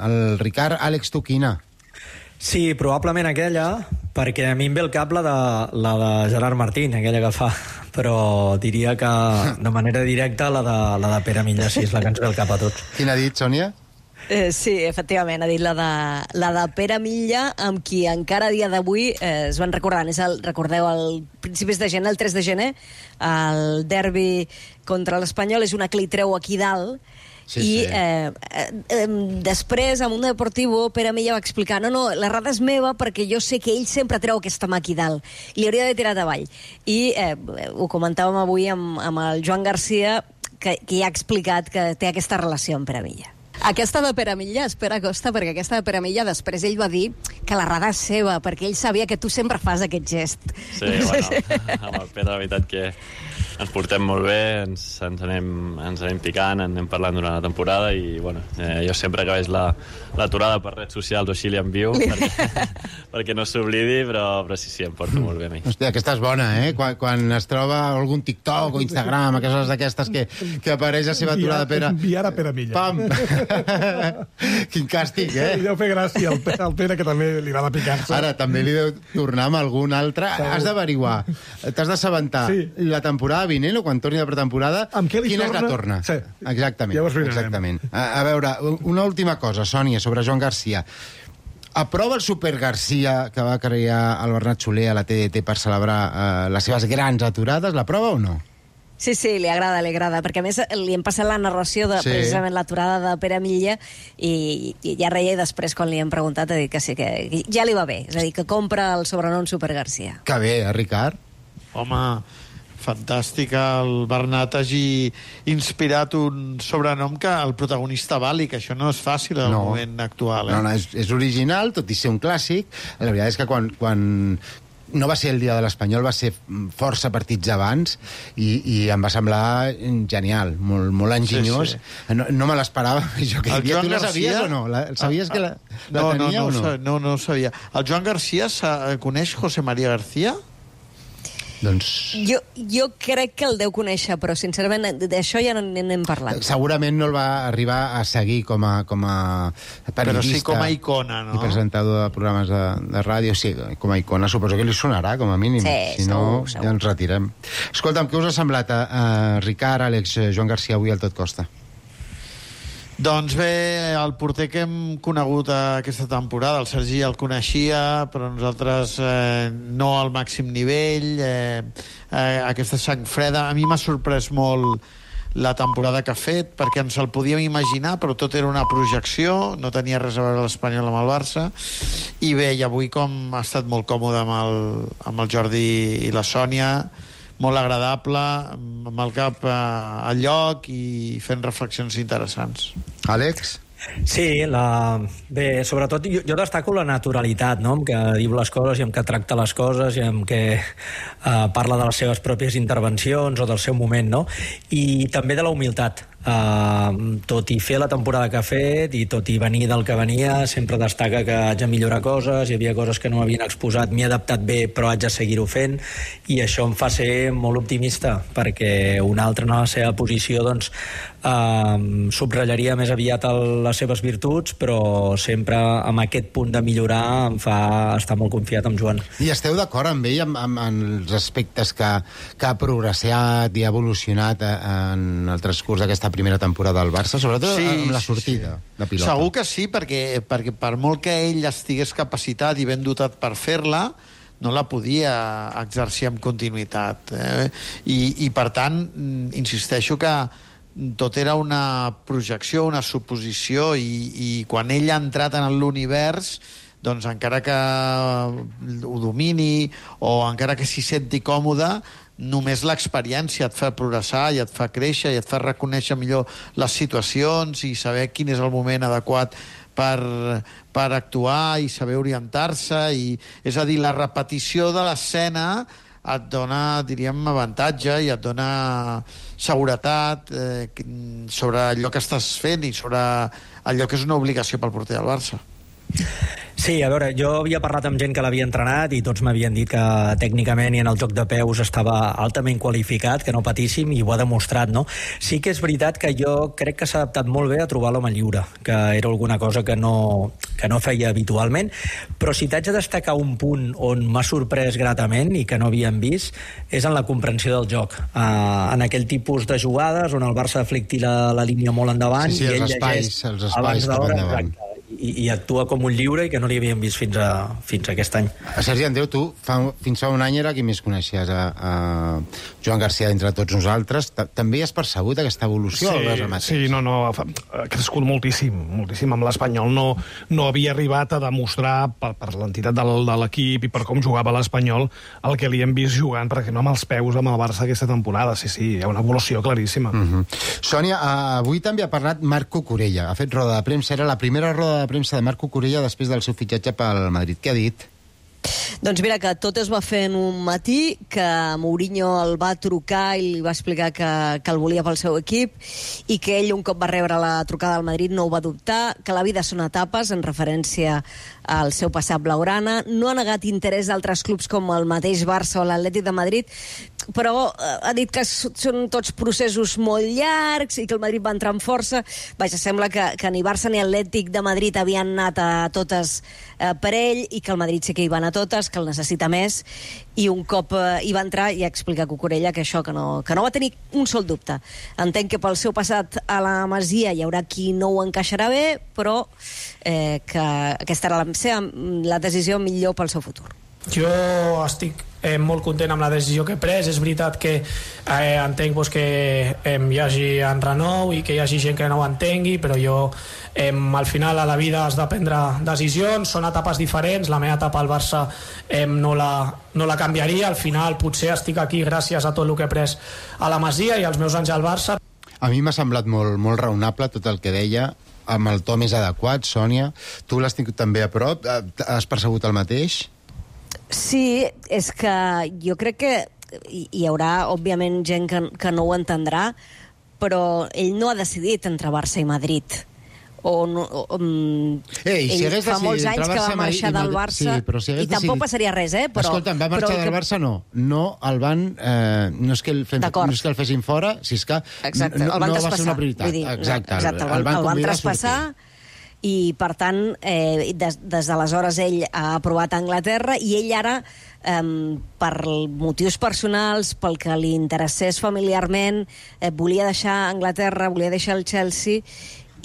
el Ricard. Àlex, tu quina? Sí, probablement aquella, perquè a mi em ve el cap la de, la de Gerard Martín, aquella que fa, però diria que de manera directa la de, la de Pere Milla, sí, és la que ens ve el cap a tots. Quina ha dit, Sònia? Eh, sí, efectivament, ha dit la de, la de Pere Milla, amb qui encara a dia d'avui eh, es van recordant. És el, recordeu, el principis de gener, el tres de gener, el derbi contra l'Espanyol, és una que li treu aquí dalt. Sí, i sí. Eh, eh, després a Mundo Deportivo Pere Milla va explicar no, no, l'errada és meva perquè jo sé que ell sempre treu aquesta mà aquí dalt i li hauria d'haver tirat avall i eh, ho comentàvem avui amb, amb el Joan Garcia que, que ja ha explicat que té aquesta relació amb Pere Milla. Aquesta de Pere Milla, espera Costa, perquè aquesta de Pere Milla després ell va dir que l'errada és seva, perquè ell sabia que tu sempre fas aquest gest. Sí, bueno, amb el Pere la veritat que ens portem molt bé, ens, ens, anem, ens anem picant, anem parlant durant la temporada i bueno, eh, jo sempre que veig la, l'aturada per redes socials o així li envio perquè, perquè no s'oblidi, però, però sí, sí, em porto molt bé a mi. Hòstia, aquesta és bona, eh? Quan, quan es troba algun TikTok o Instagram, aquestes d'aquestes que, que apareix la seva aturada Pere... Enviar a Pere Milla. Pam! Quin càstig, eh? Li deu fer gràcia al Pere, al Pere que també li agrada picar-se. Ara, també li deu tornar amb algun altre. Has d'averiguar, t'has d'assabentar sí. La temporada vinent o quan torni la pretemporada, quina és la torna. Sí. Exactament. Ja exactament. A, a veure, una última cosa, Sònia, sobre Joan Garcia. Aprova el Super Garcia que va crear el Bernat Soler a la T D T per celebrar eh, les seves grans aturades? L'aprova o no? Sí, sí, li agrada, li agrada, perquè a més li hem passat la narració de sí. precisament l'aturada de Pere Milla i, i ja reia després quan li hem preguntat ha dit que sí, que ja li va bé, és a dir, que compra el sobrenom Super Garcia. Que bé, eh, Ricard? Home, fantàstic el Bernat hagi inspirat un sobrenom que el protagonista vali, que això no és fàcil en el no. moment actual. Eh? No, no, és, és original, tot i ser un clàssic. La veritat és que quan, quan no va ser el dia de l'Espanyol, va ser força partits abans, i, i em va semblar genial, molt, molt enginyós. Sí, sí. No, no me l'esperava, jo que hi havia. Tu la sabies o no? La, sabies que la, la no, tenia no, no, o no? No, no ho sabia. El Joan Garcia coneix José María García? Doncs... Jo, jo crec que el deu conèixer, però sincerament d'això ja no n'hem parlat. Segurament no el va arribar a seguir com a, com a periodista. Però sí com a icona, no? I presentador de programes de, de ràdio, sí, com a icona suposo que li sonarà, com a mínim. Sí, si no, segur, segur. ja ens retirem. Escolta'm, què us ha semblat a, a Ricard, Àlex, Joan Garcia avui al Tot Costa? Doncs bé, el porter que hem conegut aquesta temporada, el Sergi el coneixia, però nosaltres eh, no al màxim nivell, eh, eh, aquesta sang freda. A mi m'ha sorprès molt la temporada que ha fet, perquè ens el podíem imaginar, però tot era una projecció, no tenia res a veure l'Espanyol amb el Barça, i bé, i avui com ha estat molt còmode amb el, amb el Jordi i la Sònia, molt agradable, amb el cap eh, al lloc i fent reflexions interessants. Àlex? Sí, la... bé, sobretot jo, jo destaco la naturalitat, no?, amb què diu les coses i amb què tracta les coses i amb què eh, parla de les seves pròpies intervencions o del seu moment, no? I també de la humilitat. Uh, tot i fer la temporada que ha fet i tot i venir del que venia, sempre destaca que haig de millorar coses, hi havia coses que no m'havien exposat, m'hi he adaptat bé però haig de seguir-ho fent, i això em fa ser molt optimista, perquè un altre en la seva posició doncs uh, subratllaria més aviat el, les seves virtuts, però sempre amb aquest punt de millorar em fa estar molt confiat amb Joan. I esteu d'acord amb ell amb, amb, amb els aspectes que, que ha progressat i ha evolucionat en el transcurs d'aquesta primera temporada del Barça, sobretot sí, amb la sortida sí, sí. de pilota? Segur que sí, perquè, perquè per molt que ell estigués capacitat i ben dotat per fer-la, no la podia exercir amb continuïtat. Eh? I, I, per tant, insisteixo que tot era una projecció, una suposició, i, i quan ell ha entrat en l'univers, doncs encara que ho domini o encara que s'hi senti còmode, només l'experiència et fa progressar i et fa créixer i et fa reconèixer millor les situacions i saber quin és el moment adequat per, per actuar i saber orientar-se. I, és a dir, la repetició de l'escena et dona, diríem, avantatge i et dona seguretat eh, sobre allò que estàs fent i sobre allò que és una obligació pel porter del Barça. Sí, a veure, jo havia parlat amb gent que l'havia entrenat i tots m'havien dit que tècnicament i en el joc de peus estava altament qualificat, que no patíssim, i ho ha demostrat, no? Sí que és veritat que jo crec que s'ha adaptat molt bé a trobar l'home lliure, que era alguna cosa que no, que no feia habitualment, però si t'haig de destacar un punt on m'ha sorprès gratament i que no havíem vist, és en la comprensió del joc. Uh, en aquell tipus de jugades on el Barça aflicti la, la línia molt endavant, sí, sí, i ell els espais, llegeix els espais cap endavant. Exacte. I, i actua com un lliure i que no li havíem vist fins a, fins a aquest any. Sergi Andreu, tu fa, fins fa un any era qui més coneixies a, a Joan Garcia entre tots nosaltres. També has percebut aquesta evolució? Sí, sí, no, no, ha crescut moltíssim, moltíssim amb l'Espanyol. No, no havia arribat a demostrar per, per l'entitat de l'equip i per com jugava l'Espanyol el que li hem vist jugant, per exemple, amb els peus amb el Barça aquesta temporada. Sí, sí, hi ha una evolució claríssima. Uh -huh. Sònia, avui també ha parlat Marc Cucurella. Ha fet roda de premsa, era la primera roda de premsa de Marc Cucurella després del seu fitxatge pel Madrid. Què ha dit? Doncs mira, que tot es va fer en un matí, que Mourinho el va trucar i li va explicar que, que el volia pel seu equip i que ell, un cop va rebre la trucada del Madrid, no ho va dubtar, que la vida són etapes, en referència al seu passat blaugrana. No ha negat interès d'altres clubs com el mateix Barça o l'Atlètic de Madrid, però ha dit que són tots processos molt llargs i que el Madrid va entrar amb força. Vaja, sembla que, que ni Barça ni Atlètic de Madrid havien anat a totes eh, per ell i que el Madrid sí que hi va anar a totes, que el necessita més, i un cop eh, hi va entrar ja explica Cucurella que això, que no, que no va tenir un sol dubte. Entenc que pel seu passat a la Masia hi haurà qui no ho encaixarà bé, però eh, que aquesta era la, seva, la decisió millor pel seu futur. Jo estic eh, molt content amb la decisió que he pres. És veritat que eh, entenc pues, que eh, hi hagi enrenou i que hi hagi gent que no ho entengui, però jo eh, al final a la vida has de prendre decisions, són etapes diferents. La meva etapa al Barça eh, no, la, no la canviaria. Al final potser estic aquí gràcies a tot el que he pres a la Masia i als meus anys al Barça. A mi m'ha semblat molt, molt raonable tot el que deia, amb el to més adequat. Sònia, tu l'has tingut també a prop, has percebut el mateix? Sí, és que jo crec que hi, hi haurà, òbviament, gent que, que no ho entendrà, però ell no ha decidit entre Barça i Madrid. O no, o, um, Ei, si ell fa molts anys que va marxar del Barça, sí, si i tampoc passaria res, eh? Però, Escolta'm, va marxar però del que... Barça, no. No el van... Eh, no, és que el fem, no és que el fessin fora, si és que exacte, no, el van no traspassar. va ser una prioritat. Dir, exacte, exacte, el, el van, el van convidar traspassar i, per tant, eh, des, des d'aleshores ell ha aprovat a Anglaterra i ell ara, eh, per motius personals, pel que li interessés familiarment, eh, volia deixar Anglaterra, volia deixar el Chelsea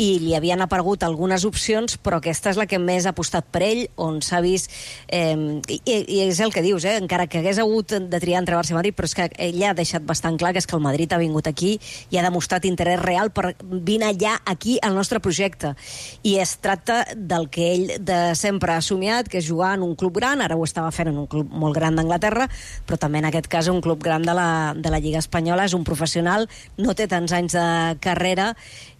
i li havien aparegut algunes opcions, però aquesta és la que més ha apostat per ell, on s'ha vist... Eh, i, I és el que dius, eh? Encara que hagués hagut de triar entre Barça i Madrid, però és que ell ha deixat bastant clar que és que el Madrid ha vingut aquí i ha demostrat interès real per vine allà, aquí, al nostre projecte. I es tracta del que ell de sempre ha somiat, que és jugar en un club gran, ara ho estava fent en un club molt gran d'Anglaterra, però també en aquest cas un club gran de la, de la Lliga Espanyola, és un professional, no té tants anys de carrera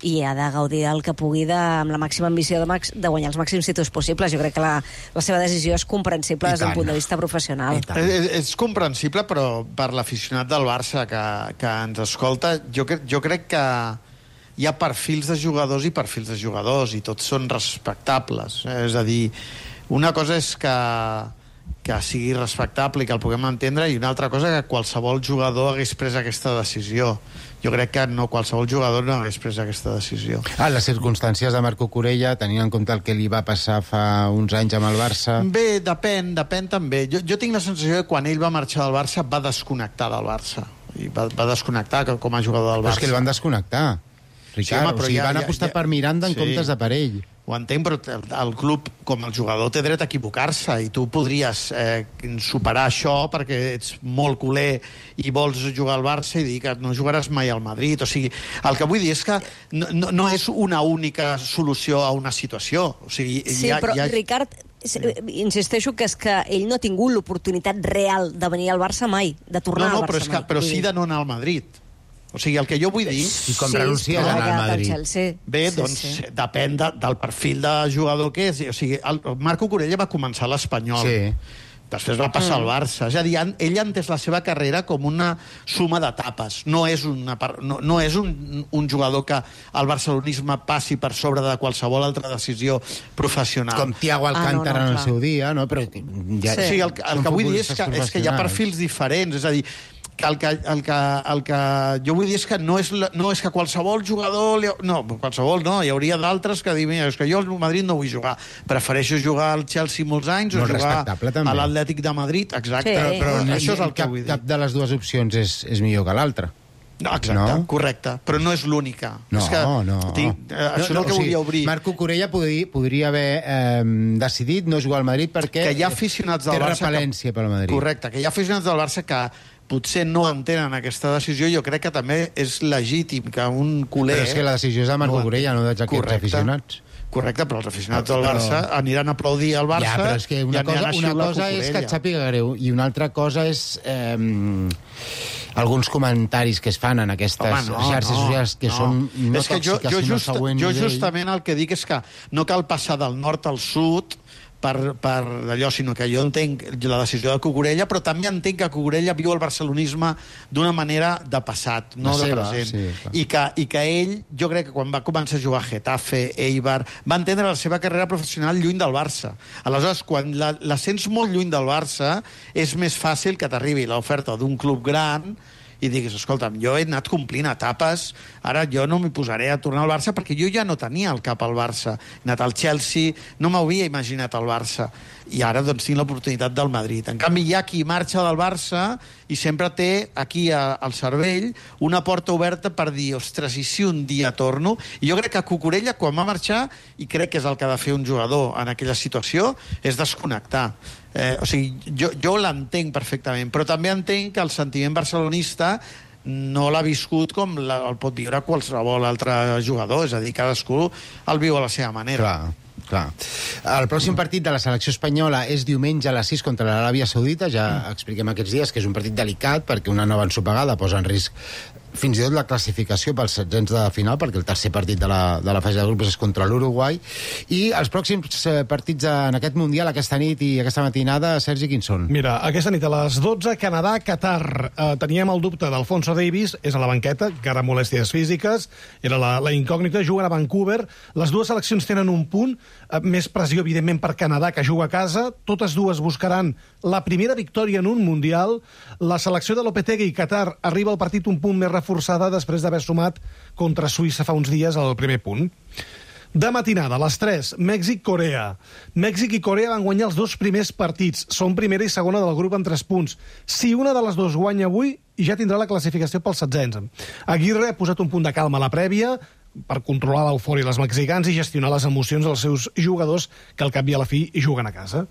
i ha de gaudir el que pugui de, amb la màxima ambició de, max, de guanyar els màxims títols possibles. Jo crec que la, la seva decisió és comprensible des d'un punt de vista professional. És, és comprensible, però per l'aficionat del Barça que, que ens escolta, jo, cre jo crec que hi ha perfils de jugadors i perfils de jugadors, i tots són respectables. És a dir, una cosa és que que sigui respectable i que el puguem entendre, i una altra cosa que qualsevol jugador hagués pres aquesta decisió. Jo crec que no, qualsevol jugador no hagués pres aquesta decisió. Ah, les circumstàncies de Marco Corella, tenint en compte el que li va passar fa uns anys amb el Barça... Bé, depèn, depèn també. Jo, jo tinc la sensació que quan ell va marxar del Barça va desconnectar del Barça. I va, va desconnectar com a jugador del Barça. Però és que el van desconnectar, Ricard. Sí, home, o sigui, ja, van apostar ja, ja... per Miranda en sí. comptes de per ell. Ho entenc, però el, el club, com el jugador, té dret a equivocar-se, i tu podries eh, superar això perquè ets molt culer i vols jugar al Barça i dir que no jugaràs mai al Madrid. O sigui, el que vull dir és que no, no, no és una única solució a una situació. O sigui, sí, hi ha, però, hi ha... Ricard, insisteixo que és que ell no ha tingut l'oportunitat real de venir al Barça mai, de tornar no, no, al Barça però és que, mai. però sí de no anar al Madrid. O sigui, el que jo vull dir... I com sí, renuncies a anar al Madrid? Bé, sí, doncs sí. depèn de, del perfil de jugador que és. O sigui, el Marco Corella va començar a l'Espanyol. Sí. Després va passar mm. al Barça. És a dir, ell ha entès la seva carrera com una suma d'etapes. No és, una, no, no és un, un jugador que el barcelonisme passi per sobre de qualsevol altra decisió professional. Com Thiago Alcántara ah, no, no, en el seu dia, no? Però ja, sí, sí el, el que vull dir és que, és que hi ha perfils diferents. És a dir, que el, que, el, que, el que jo vull dir és que no és, no és que qualsevol jugador... Li, no, qualsevol no, hi hauria d'altres que diuen és que jo al Madrid no vull jugar. Prefereixo jugar al Chelsea molts anys Molt o jugar a l'Atlètic de Madrid. Exacte. Sí. Però, però no, això és el que cap, vull dir. Cap de les dues opcions és, és millor que l'altra. No, exacte, no? Correcte, però no és l'única. No, és que, no. Tinc, eh, això no, no, és el que o sigui, volia obrir. Marco Corella podria, podria haver eh, decidit no jugar al Madrid perquè que hi ha aficionats del té Barça repel·lència pel Madrid. Correcte, que hi ha aficionats del Barça que potser no entenen aquesta decisió. Jo crec que també és legítim que un culer... Però és que la decisió és de Marco no, Corella, no d'aquests correcte, aficionats. Correcte, però els aficionats del Barça però... aniran a aplaudir al Barça... Ja, però és que una cosa, una cosa és que et sàpiga greu i una altra cosa és eh, alguns comentaris que es fan en aquestes Home, no, xarxes no, socials que no. són no és que tòxiques, jo, jo sinó just, següent Jo justament el que dic és que no cal passar del nord al sud per, per allò, sinó que jo entenc la decisió de Cucurella, però també entenc que Cucurella viu el barcelonisme d'una manera de passat, no la de seva, present. Sí, I, que, I que ell, jo crec que quan va començar a jugar a Getafe, Eibar, va entendre la seva carrera professional lluny del Barça. Aleshores, quan la, la sents molt lluny del Barça, és més fàcil que t'arribi l'oferta d'un club gran i diguis, escolta'm, jo he anat complint etapes, ara jo no m'hi posaré a tornar al Barça perquè jo ja no tenia el cap al Barça. He anat al Chelsea, no m'havia imaginat al Barça. I ara doncs tinc l'oportunitat del Madrid. En canvi, hi ha qui marxa del Barça i sempre té aquí a, al cervell una porta oberta per dir, ostres, i si un dia torno? I jo crec que Cucurella, quan va marxar, i crec que és el que ha de fer un jugador en aquella situació, és desconnectar. Eh, o sigui, jo, jo l'entenc perfectament, però també entenc que el sentiment barcelonista no l'ha viscut com la, el pot viure qualsevol altre jugador, és a dir, cadascú el viu a la seva manera. Clar, clar. El pròxim partit de la selecció espanyola és diumenge a les sis contra l'Aràbia Saudita, ja expliquem aquests dies que és un partit delicat perquè una nova ensopegada posa en risc fins i tot la classificació pels setzents de final, perquè el tercer partit de la, de la fase de grups és contra l'Uruguai, i els pròxims partits en aquest Mundial, aquesta nit i aquesta matinada, Sergi, quins són? Mira, aquesta nit a les dotze, Canadà, Qatar. Eh, teníem el dubte d'Alfonso Davies, és a la banqueta, encara molèsties físiques, era la, la incògnita, juguen a Vancouver. Les dues seleccions tenen un punt, eh, més pressió, evidentment, per Canadà, que juga a casa. Totes dues buscaran la primera victòria en un Mundial. La selecció de Lopetegui i Qatar arriba al partit un punt més reforçada després d'haver sumat contra Suïssa fa uns dies el primer punt. De matinada, a les tres, Mèxic-Corea. Mèxic i Corea van guanyar els dos primers partits. Són primera i segona del grup amb tres punts. Si una de les dues guanya avui, ja tindrà la classificació pels setzents. Aguirre ha posat un punt de calma a la prèvia per controlar l'eufòria dels mexicans i gestionar les emocions dels seus jugadors, que al cap i a la fi juguen a casa.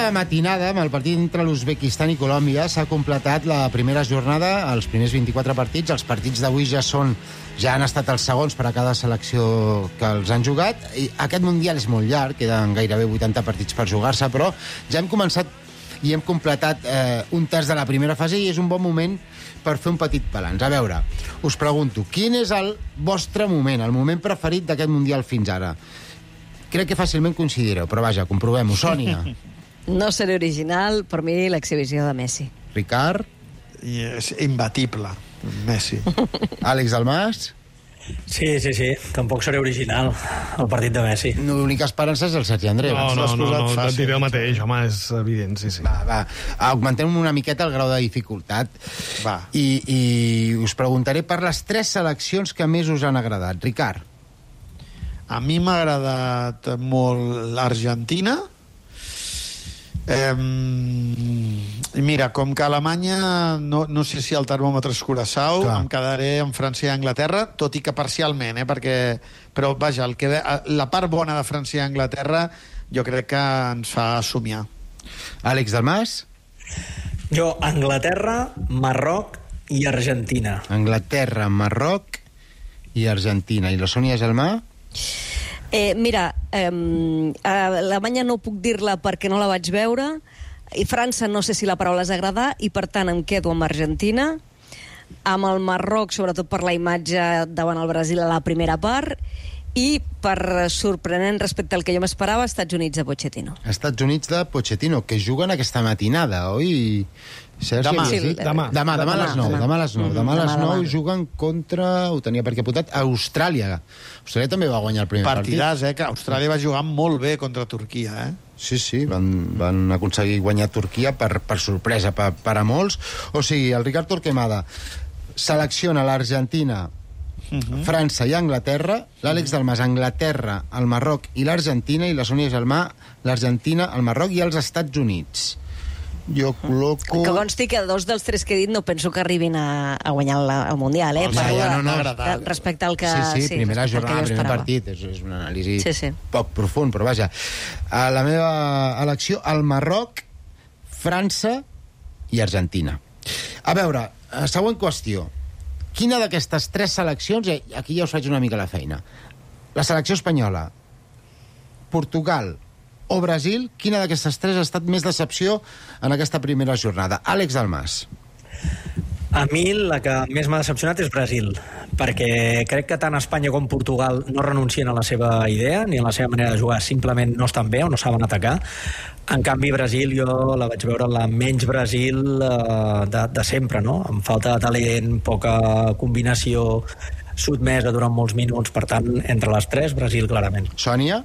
Matinada, amb el partit entre l'Uzbekistan i Colòmbia, s'ha completat la primera jornada, els primers vint-i-quatre partits. Els partits d'avui ja són ja han estat els segons per a cada selecció que els han jugat. I aquest Mundial és molt llarg, queden gairebé vuitanta partits per jugar-se, però ja hem començat i hem completat eh, un terç de la primera fase i és un bon moment per fer un petit balanç. A veure, us pregunto, quin és el vostre moment, el moment preferit d'aquest Mundial fins ara? Crec que fàcilment coincidireu, però vaja, comprovem-ho. Sònia. No seré original, per mi l'exhibició de Messi. Ricard? I és imbatible, Messi. Àlex Dalmas? Sí, sí, sí, tampoc seré original, el partit de Messi. L'única esperança és el Sergi Andreu. No, no, no, no, no et diré el mateix, home, és evident, sí, sí. Va, va, augmentem una miqueta el grau de dificultat. Va. I, i us preguntaré per les tres seleccions que més us han agradat. Ricard? A mi m'ha agradat molt l'Argentina. Eh, mira, com que Alemanya no, no sé si el termòmetre és curaçao, em quedaré amb França i Anglaterra, tot i que parcialment, eh, perquè, però vaja, el que, la part bona de França i Anglaterra jo crec que ens fa somiar. Àlex Dalmas? Jo, Anglaterra, Marroc i Argentina. Anglaterra, Marroc i Argentina. I la Sònia Gelmà? Eh, mira, eh, Alemanya no puc dir-la perquè no la vaig veure, i França no sé si la paraula és agradar, i per tant em quedo amb Argentina, amb el Marroc, sobretot per la imatge davant el Brasil a la primera part, i per sorprenent respecte al que jo m'esperava, Estats Units de Pochettino. Estats Units de Pochettino, que juguen aquesta matinada, oi? Sergi, demà, sí, demà, demà, demà a les nou, demà a les nou, demà a les nou juguen contra, ho tenia per aquí apuntat, Austràlia. Austràlia també va guanyar el primer partit. Partidàs, eh, que Austràlia va jugar molt bé contra Turquia, eh? Sí, sí, van, van aconseguir guanyar Turquia per, per sorpresa per, per a molts. O sigui, el Ricard Torquemada selecciona l'Argentina, uh-huh. França i Anglaterra, l'Àlex Dalmas, Anglaterra, el Marroc i l'Argentina, i la Sònia Gelmà, l'Argentina, el Marroc i els Estats Units. Jo col·loco... Que consti que dos dels tres que he dit no penso que arribin a, a guanyar el, el Mundial, eh? Ja, ja, no, no. Respecte al que... Sí, sí, sí primera jornada, primer esperava. partit. És, és una anàlisi sí, sí. poc profund, però vaja. A la meva elecció, el Marroc, França i Argentina. A veure, següent qüestió. Quina d'aquestes tres seleccions... Aquí ja us faig una mica la feina. La selecció espanyola, Portugal o Brasil, quina d'aquestes tres ha estat més decepció en aquesta primera jornada? Àlex Dalmas. A mi la que més m'ha decepcionat és Brasil, perquè crec que tant Espanya com Portugal no renuncien a la seva idea ni a la seva manera de jugar, simplement no estan bé o no saben atacar. En canvi, Brasil jo la vaig veure la menys Brasil eh, de, de sempre, no? Amb falta de talent, poca combinació, sotmesa durant molts minuts, per tant, entre les tres, Brasil clarament. Sònia?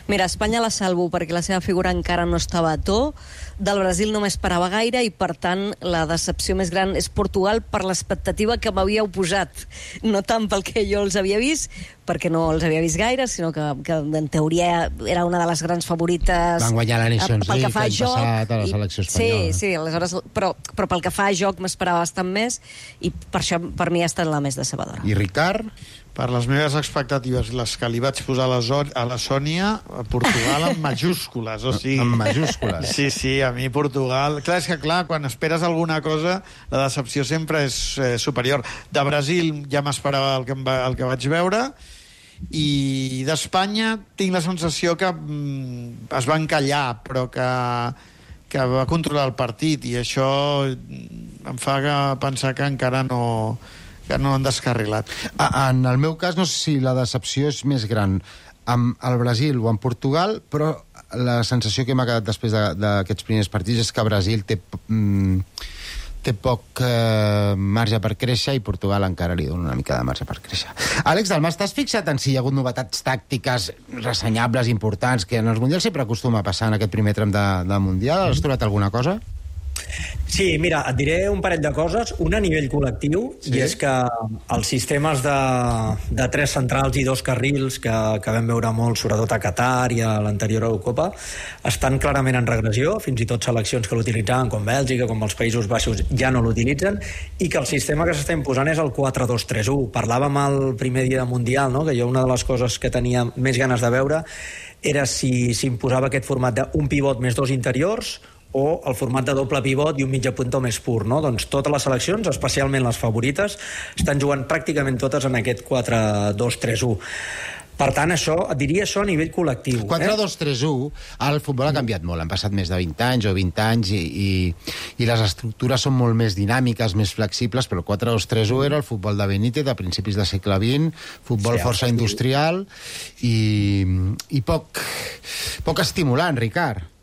Mira, Espanya la salvo perquè la seva figura encara no estava a to, del Brasil no m'esperava gaire i per tant la decepció més gran és Portugal per l'expectativa que m'havíeu posat, no tant pel que jo els havia vist, perquè no els havia vist gaire, sinó que, que en teoria era una de les grans favorites... Van guanyar la Nations League l'any passat a la selecció espanyola. Sí, sí, aleshores, però, però pel que fa a joc m'esperava bastant més i per això per mi ha estat la més decebedora. I Ricard? Per les meves expectatives, les que li vaig posar a la, Zo- a la Sònia, a Portugal en majúscules, o sigui... En majúscules? Sí, sí, a mi Portugal... Clar, és que clar, quan esperes alguna cosa, la decepció sempre és eh, superior. De Brasil ja m'esperava el, que em va, el que vaig veure, i d'Espanya tinc la sensació que mm, es va encallar, però que, que va controlar el partit, i això em fa que pensar que encara no... que no han descarrilat. En el meu cas, no sé si la decepció és més gran amb el Brasil o en Portugal, però la sensació que m'ha quedat després d'aquests primers partits és que Brasil té, mm, té poc eh, marge per créixer i Portugal encara li dona una mica de marge per créixer. Àlex Dalmas, t'has fixat en si hi ha hagut novetats tàctiques ressenyables, importants, que en els Mundials sempre acostuma a passar en aquest primer tram de, de Mundial? Has trobat alguna cosa? Sí, mira, et diré un parell de coses. Una a nivell col·lectiu, sí? I és que els sistemes de, de tres centrals i dos carrils que, que vam veure molt, sobretot a Qatar i a l'anterior Eurocopa, estan clarament en regressió. Fins i tot seleccions que l'utilitzaven, com Bèlgica, com els Països Baixos, ja no l'utilitzen, i que el sistema que s'està imposant és el quatre dos tres u. Parlàvem el primer dia de Mundial, no? Que jo una de les coses que tenia més ganes de veure era si s'imposava aquest format d'un pivot més dos interiors, o el format de doble pivot i un mitjapunta més pur, no? Doncs totes les seleccions, especialment les favorites, estan jugant pràcticament totes en aquest quatre dos tres u. Per tant, això, et diria això a nivell col·lectiu. quatre dos tres u, el futbol ha canviat molt. Han passat més de vint anys o vint anys i, i, i les estructures són molt més dinàmiques, més flexibles, però el quatre dos tres u era el futbol de Benítez a principis del segle vint, futbol sí, força industrial i, i poc, poc estimulant, Ricard.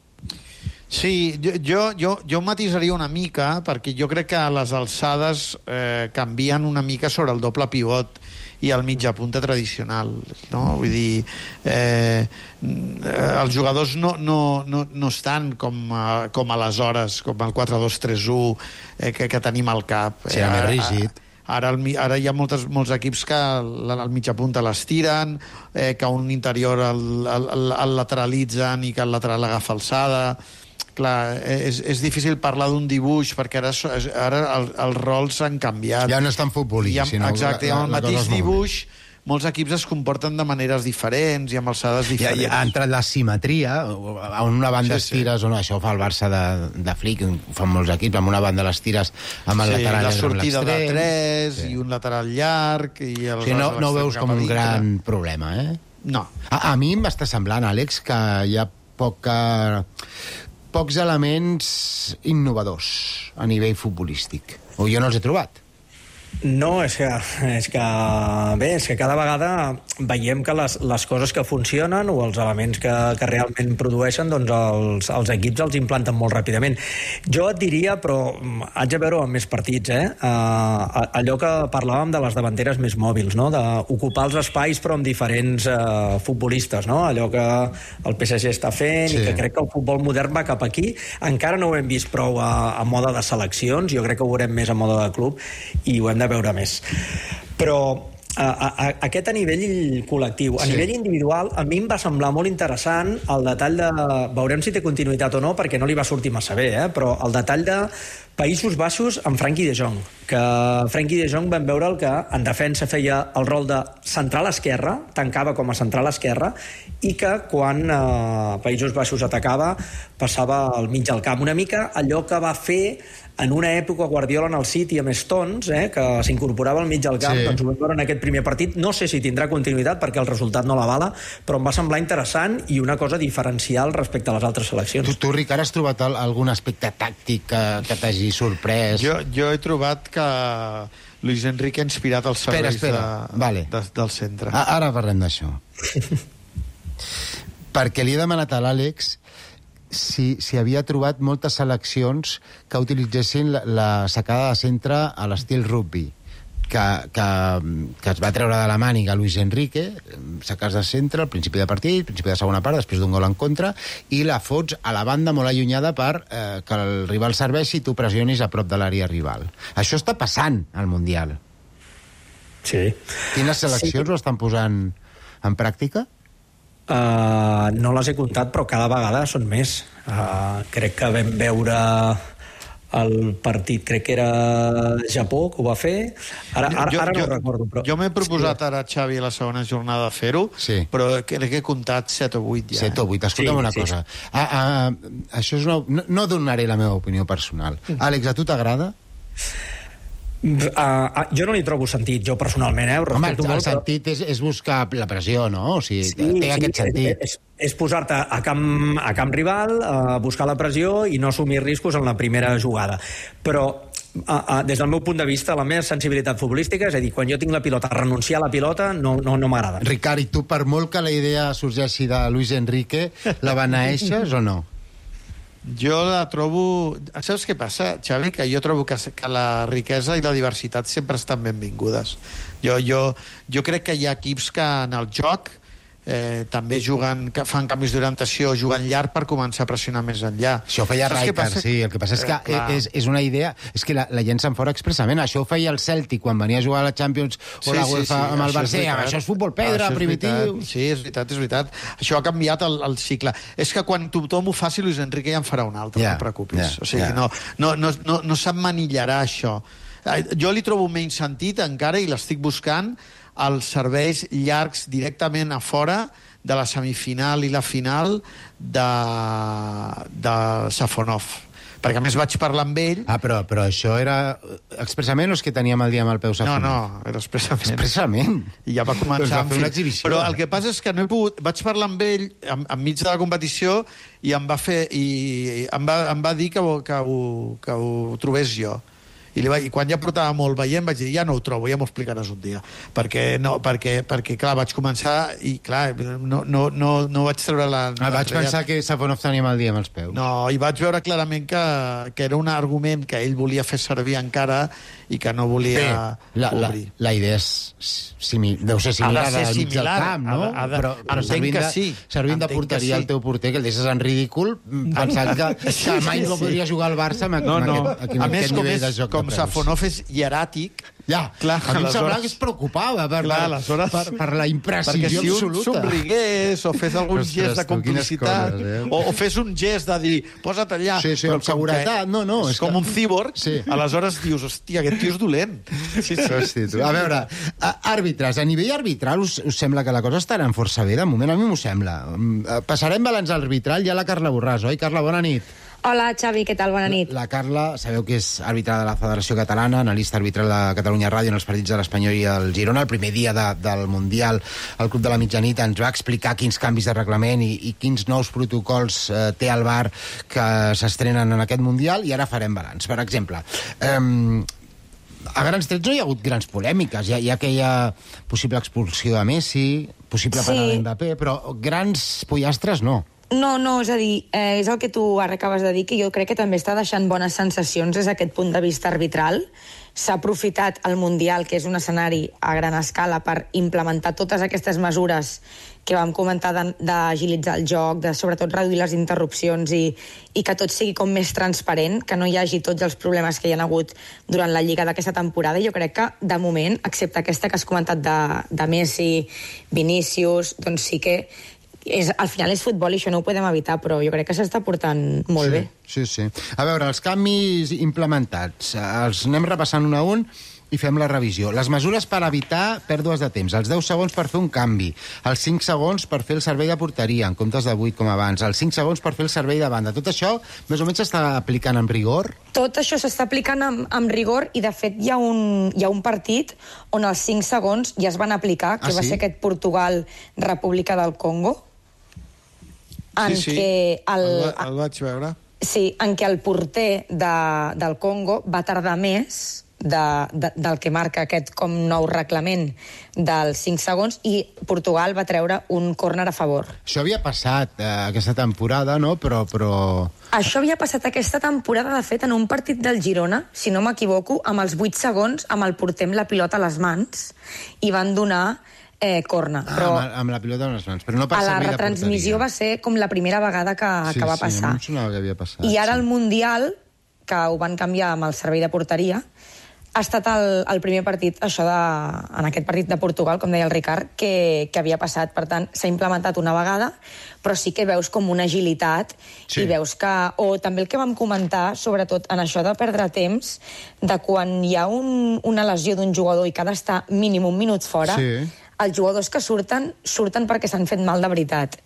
Sí, jo, jo, jo, jo matisaria una mica, perquè jo crec que les alçades eh, canvien una mica sobre el doble pivot i el mitja punta tradicional, no? Vull dir, eh, els jugadors no, no, no, no estan com, a, com aleshores, com el quatre dos tres u eh, que, que tenim al cap. Sí, eh, més rígid. Ara, el, ara hi ha moltes, molts equips que el, el mitja punta l'estiren, eh, que un interior el, el, el, el lateralitzen i que el lateral agafa alçada. Clar, és, és difícil parlar d'un dibuix perquè ara, ara el, els rols s'han canviat. Ja no és tan futbolí, sinó... Exacte, amb el mateix dibuix molts equips es comporten de maneres diferents i amb alçades diferents. Ja, ja ha entrat la simetria, a una banda sí, estires, sí. O no, això ho fa el Barça de, de Flick, ho fan molts equips, amb una banda l'estires amb el sí, lateral la sortida amb de tres sí. I un lateral llarg i el sí, no, no ho veus com un gran problema, eh? No. A, a mi m'està semblant, Àlex, que hi ha poca... pocs elements innovadors a nivell futbolístic. O jo no els he trobat. No, és que, és que bé, és que cada vegada veiem que les, les coses que funcionen o els elements que, que realment produeixen, doncs els, els equips els implanten molt ràpidament. Jo et diria, però haig de veure amb més partits, eh? Uh, allò que parlàvem de les davanteres més mòbils, no? D'ocupar els espais però amb diferents uh, futbolistes, no? Allò que el P S G està fent sí. I que crec que el futbol modern va cap aquí. Encara no ho hem vist prou a, a moda de seleccions, jo crec que ho veurem més a moda de club i ho hem de veure més. Però a, a, aquest a nivell col·lectiu, a sí. Nivell individual, a mi em va semblar molt interessant el detall de... Veurem si té continuïtat o no, perquè no li va sortir massa bé, eh? Però el detall de Països Baixos amb Frenkie de Jong, que Frenkie de Jong vam veure el que en defensa feia el rol de central esquerra, tancava com a central esquerra, i que quan eh, Països Baixos atacava passava al mig del camp. Una mica allò que va fer en una època Guardiola en el City amb Stones, eh, que s'incorporava al mig del camp, sí. Doncs ho vam veure en aquest primer partit. No sé si tindrà continuïtat perquè el resultat no l'avala, però em va semblar interessant i una cosa diferencial respecte a les altres seleccions. Tu, tu Ricard, has trobat algun aspecte tàctic que, que t'hagi sorprès? Jo, jo he trobat que Luis Enrique ha inspirat els serveis espera, espera. De, vale. de, del centre. Ah, ara parlem d'això. Perquè li he demanat a l'Àlex si, si havia trobat moltes seleccions que utilitzessin la, la sacada de centre a l'estil rugby, que, que, que es va treure de la màniga Luis Enrique, sacades de centre al principi de partit, principi de segona part, després d'un gol en contra, i la fots a la banda molt allunyada per eh, que el rival serveixi i tu pressionis a prop de l'àrea rival. Això està passant al Mundial. Sí. Quines seleccions sí. ho estan posant en pràctica? Uh, no les he comptat, però cada vegada són més. Uh, crec que vam veure el partit, crec que era Japó, que ho va fer. Ara, ara, jo, ara no jo, ho recordo. Però... Jo m'he proposat sí. ara, Xavi, a la segona jornada de fer-ho, sí. però crec que he comptat set o vuit ja. set o vuit, escolta'm sí, una sí. cosa. Ah, ah, això és una... no, no donaré la meva opinió personal. Mm. Àlex, a tu t'agrada? Uh, uh, jo no li trobo sentit, jo personalment, eh? Home, el, el sentit és, és buscar la pressió, no? O sigui, sí, té sí, aquest sentit. És, és posar-te a camp, a camp rival, a buscar la pressió i no assumir riscos en la primera jugada. Però, uh, uh, des del meu punt de vista, la meva sensibilitat futbolística, és a dir, quan jo tinc la pilota, renunciar a la pilota no, no, no m'agrada. Ricard, i tu, per molt que la idea sorgeixi de Luis Enrique, la beneeixes o no? Jo la trobo... Saps què passa, Xavi? Que jo trobo que, que la riquesa i la diversitat sempre estan benvingudes. Jo, jo, jo crec que hi ha equips que en el joc eh, també juguen, que fan canvis d'orientació, juguen llarg per començar a pressionar més enllà. Això ho feia Rijkaard, sí. El que passa és que eh, és, és una idea... És que la, la llencen fora expressament. Això ho feia el Celtic quan venia a jugar a la Champions o sí, la UEFA sí, sí. amb el Barça. Això és futbol pedra, això és primitiu... Veritat. Sí, és veritat, és veritat. Això ha canviat el, el cicle. És que quan tothom ho faci, Luis Enrique ja en farà un altre, yeah, no et preocupis. Yeah, o sigui, yeah. no, no, no, no, no s'emmanillarà això. Jo li trobo menys sentit encara i l'estic buscant els serveis llargs directament a fora de la semifinal i la final de, de Safonov. Perquè a més vaig parlar amb ell... Ah, però, però això era expressament o és que teníem el dia amb el peu Safonov? No, no, era expressament. Expressament? I ja va començar... Doncs va fer una exhibició. Però el que passa és que no he pogut... Vaig parlar amb ell en, enmig de la competició i em va fer... I em va, em va dir que, ho, que, ho, que ho trobés jo. I, li va, i quan ja portava molt veient vaig dir, ja no ho trobo, ja m'ho explicaràs un dia, perquè, no, perquè, perquè clar, vaig començar i clar, no, no, no, no vaig treure la... Ah, vaig la pensar que Safonov tenia mal dia amb els peus. No, i vaig veure clarament que, que era un argument que ell volia fer servir encara i que no volia Bé, la, la, obrir. La idea és simil, deu ser similar al mig del camp, no? Ha de, ha de, però però servint, de, sí. servint de porteria al sí. teu porter, que el deixes en ridícul, pensant que, sí, que mai sí, no podria jugar al Barça amb, no, no. amb aquest, amb a aquest més, nivell és, de joc com de peus. Safonov és hieràtic, ja, clar, a mi em semblava que es preocupava per, clar, per, per, per la imprecisió perquè si absoluta. un somrigués o fes algun Ostres, gest de complicitat coses, eh? o, o fes un gest de dir posa't allà, sí, sí, amb seguretat, no, no, és, és com que... un cíborg, sí. aleshores dius, hòstia, aquest tio és dolent. Sí, sí. Hosti, tu. A veure, àrbitres, a nivell arbitral us, us sembla que la cosa estarà força bé? De moment a mi m'ho sembla. Passarem balanç arbitral, ja la Carla Borràs, oi? Carla, bona nit. Hola, Xavi, què tal? Bona nit. La, la Carla, sabeu que és àrbitre de la Federació Catalana, analista arbitral de Catalunya Ràdio en els partits de l'Espanyol i el Girona. El primer dia de, del Mundial, el Club de la Mitjanit ens va explicar quins canvis de reglament i, i quins nous protocols eh, té el V A R que s'estrenen en aquest Mundial, i ara farem balanç. Per exemple, eh, a grans trets no hi ha hagut grans polèmiques. Hi ha, hi ha aquella possible expulsió de Messi, possible penal sí. d'Mbappé, però grans pollastres no. No, no, és a dir, eh, és el que tu ara acabes de dir, que jo crec que també està deixant bones sensacions des d'aquest punt de vista arbitral. S'ha aprofitat el Mundial, que és un escenari a gran escala, per implementar totes aquestes mesures que vam comentar d'agilitzar el joc, de sobretot reduir les interrupcions i, i que tot sigui com més transparent, que no hi hagi tots els problemes que hi ha hagut durant la Lliga d'aquesta temporada. Jo crec que, de moment, excepte aquesta que has comentat de, de Messi, Vinícius, doncs sí que és, al final és futbol i això no ho podem evitar, però jo crec que s'està portant molt sí, bé. Sí, sí. A veure, els canvis implementats, els anem repassant un a un i fem la revisió. Les mesures per evitar pèrdues de temps, els deu segons per fer un canvi, els cinc segons per fer el servei de porteria, en comptes de vuit com abans, els cinc segons per fer el servei de banda. Tot això, més o menys, s'està aplicant amb rigor? Tot això s'està aplicant amb, amb rigor i, de fet, hi ha, un, hi ha un partit on els cinc segons ja es van aplicar, que ah, va sí? ser aquest Portugal-República del Congo, en sí, sí. què el, el, el vaig veure. Sí, en què el porter de, del Congo va tardar més de, de, del que marca aquest com nou reglament dels cinc segons, i Portugal va treure un córner a favor. Això havia passat eh, aquesta temporada, no? Però, però... Això havia passat aquesta temporada, de fet, en un partit del Girona, si no m'equivoco, amb els vuit segons, amb el porter amb la pilota a les mans, i van donar Eh, corna, ah, però amb, amb la pilota en les mans, però no per a la retransmissió va ser com la primera vegada que, sí, que va sí, passar. Sí, que havia passat. I ara sí. el Mundial, que ho van canviar amb el servei de porteria, ha estat el, el primer partit, això de, en aquest partit de Portugal, com deia el Ricard, que, que havia passat. Per tant, s'ha implementat una vegada, però sí que veus com una agilitat sí. i veus que... O també el que vam comentar, sobretot en això de perdre temps, de quan hi ha un, una lesió d'un jugador i que ha d'estar mínim un minut fora, sí. els jugadors que surten, surten perquè s'han fet mal de veritat.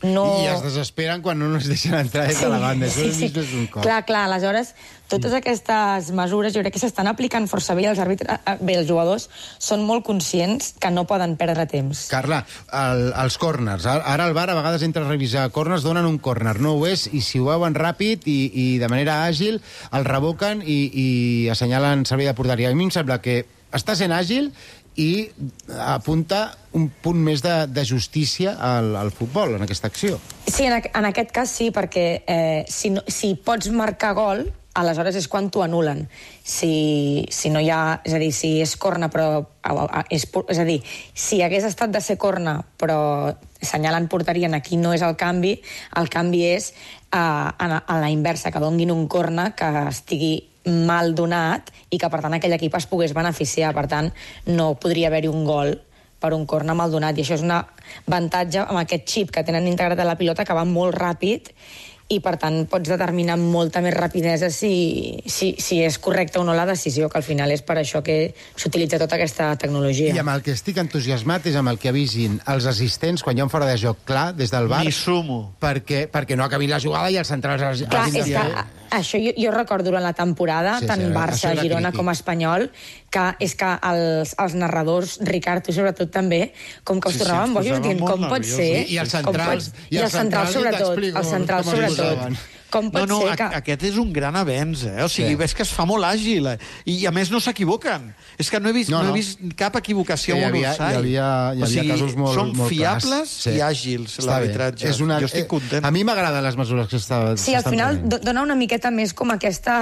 No... I es desesperen quan no es deixen entrar des de la banda. Sí, sí, sí. És un cop. Clar, clar, aleshores, totes aquestes mesures jo crec que s'estan aplicant força bé, els àrbitres, bé, els jugadors són molt conscients que no poden perdre temps. Carla, el, els córners, ara el V A R a vegades entra a revisar córners, donen un córner, no ho és, i si ho veuen ràpid i, i de manera àgil, el revoquen i, i assenyalen servei de porteria. A mi em sembla que està sent àgil i apunta un punt més de, de justícia al, al futbol, en aquesta acció. Sí, en, en aquest cas sí, perquè eh, si, no, si pots marcar gol, aleshores és quan t'ho anulen. Si, si no hi ha... És a dir, si és corna, però... És, és a dir, si hagués estat de ser corna, però assenyalant porteria, aquí no és el canvi, el canvi és a, a, a la inversa, que donguin un corna que estigui mal donat i que, per tant, aquell equip es pogués beneficiar. Per tant, no podria haver-hi un gol per un corna mal donat. I això és un avantatge amb aquest xip que tenen integrat a la pilota, que va molt ràpid, i, per tant, pots determinar amb molta més rapidesa si, si, si és correcta o no la decisió, que al final és per això que s'utilitza tota aquesta tecnologia. I amb el que estic entusiasmat és amb el que avisin els assistents quan hi ha un fora de joc clar des del V A R. Ni sumo. Perquè, perquè no acabin la jugada i els centrals... Clar, és que això jo, jo recordo durant la temporada, sí, tant sí, Barça, Girona com Espanyol, que és que els, els narradors, Ricard, tu sobretot també, com que us sí, tornaven sí, bojos, dient com pot ser... I els centrals, i els centrals sobretot, els centrals sobretot. Com pot no, no, ser que... aquest és un gran avenç, eh? O sigui, sí. ves que es fa molt àgil, eh? I, I a més no s'equivoquen. És que no he vist, no, no. No he vist cap equivocació sí, en un offside. Hi havia, hi havia o sigui, casos molt, són molt fiables sí. i àgils, l'arbitratge. Una... Jo estic content. A mi m'agraden les mesures que s'estan Sí, al final prenent. Dona una miqueta més com aquesta...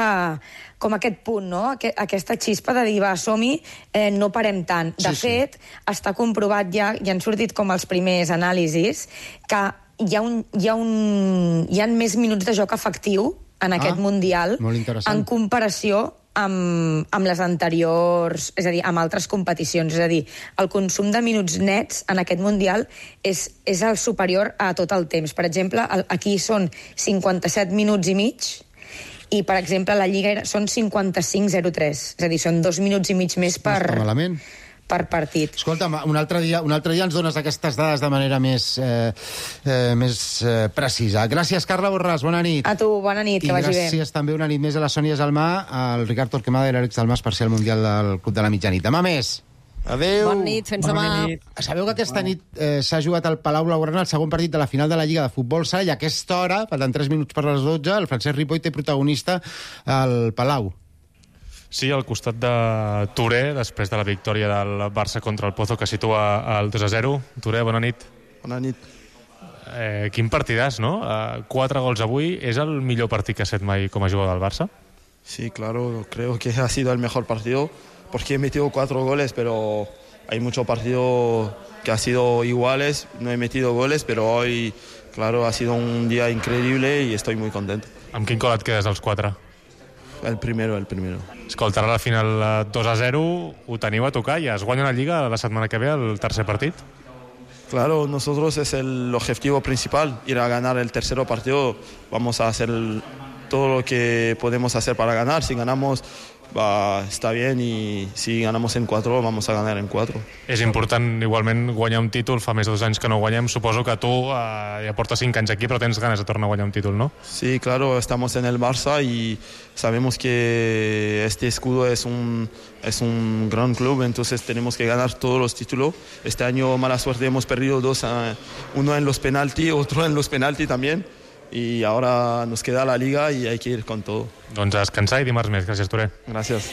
com aquest punt, no? Aquesta xispa de dir, va, som-hi, eh, no parem tant. De sí, fet, sí. està comprovat ja, ja han sortit com els primers anàlisis, que hi ha, un, hi ha, un, hi ha més minuts de joc efectiu en aquest ah, Mundial en comparació amb, amb les anteriors, és a dir, amb altres competicions. És a dir, el consum de minuts nets en aquest Mundial és, és el superior a tot el temps. Per exemple, aquí són cinquanta-set minuts i mig, i, per exemple, la Lliga són cinquanta-cinc zero tres. És a dir, són dos minuts i mig més per... No està malament. per partit. Escolta'm, un altre dia, un altre dia ens dones aquestes dades de manera més, eh, eh, més eh, precisa. Gràcies, Carla Borràs, bona nit. A tu, bona nit, que I vagi bé. I gràcies també una nit més a la Sònia Salmà, al Ricard Torquemada i l'Àlex Dalmàs per ser al Mundial del Club de la Mitjanit. Demà més. Adéu. Bona nit, fins demà. Sabeu que aquesta nit eh, s'ha jugat al Palau Blaugrana el segon partit de la final de la Lliga de Futbol Sala i a aquesta hora, faltant tres minuts per les dotze, el Francesc Ripoll té protagonista al Palau. Sí, al costat de Touré, després de la victòria del Barça contra el Pozo, que situa el dos a zero. Touré, bona nit. Bona nit. Eh, quin partidàs, no? Eh, quatre gols avui. És el millor partit que ha set mai com a jugador del Barça? Sí, claro. Creo que ha sido el mejor partido porque he metido cuatro goles, pero hay muchos partidos que han sido iguales. No he metido goles, pero hoy, claro, ha sido un día increíble y estoy muy contento. Amb quin gol et quedes als quatre? El primero, el primero. Escolta, ara a la final dos a zero ho teniu a tocar i es guanya la Lliga la setmana que ve el tercer partit. Claro, nosotros es el objetivo principal, ir a ganar el tercer partido. Vamos a hacer todo lo que podemos hacer para ganar. Si ganamos, va, está bien, y si ganamos en cuatro, vamos a ganar en cuatro. És important, igualment, guanyar un títol. Fa més de dos anys que no guanyem. Suposo que tu eh, ja portes cinc anys aquí, però tens ganes de tornar a guanyar un títol, no? Sí, claro, estamos en el Barça y sabemos que este escudo es un, es un gran club, entonces tenemos que ganar todos los títulos. Este año, mala suerte, hemos perdido dos, uh, uno en los penaltis, otro en los penaltis también. Y ahora nos queda la Liga y hay que ir con todo. Doncs a descansar i dimarts més. Gràcies, Touré. Gràcies.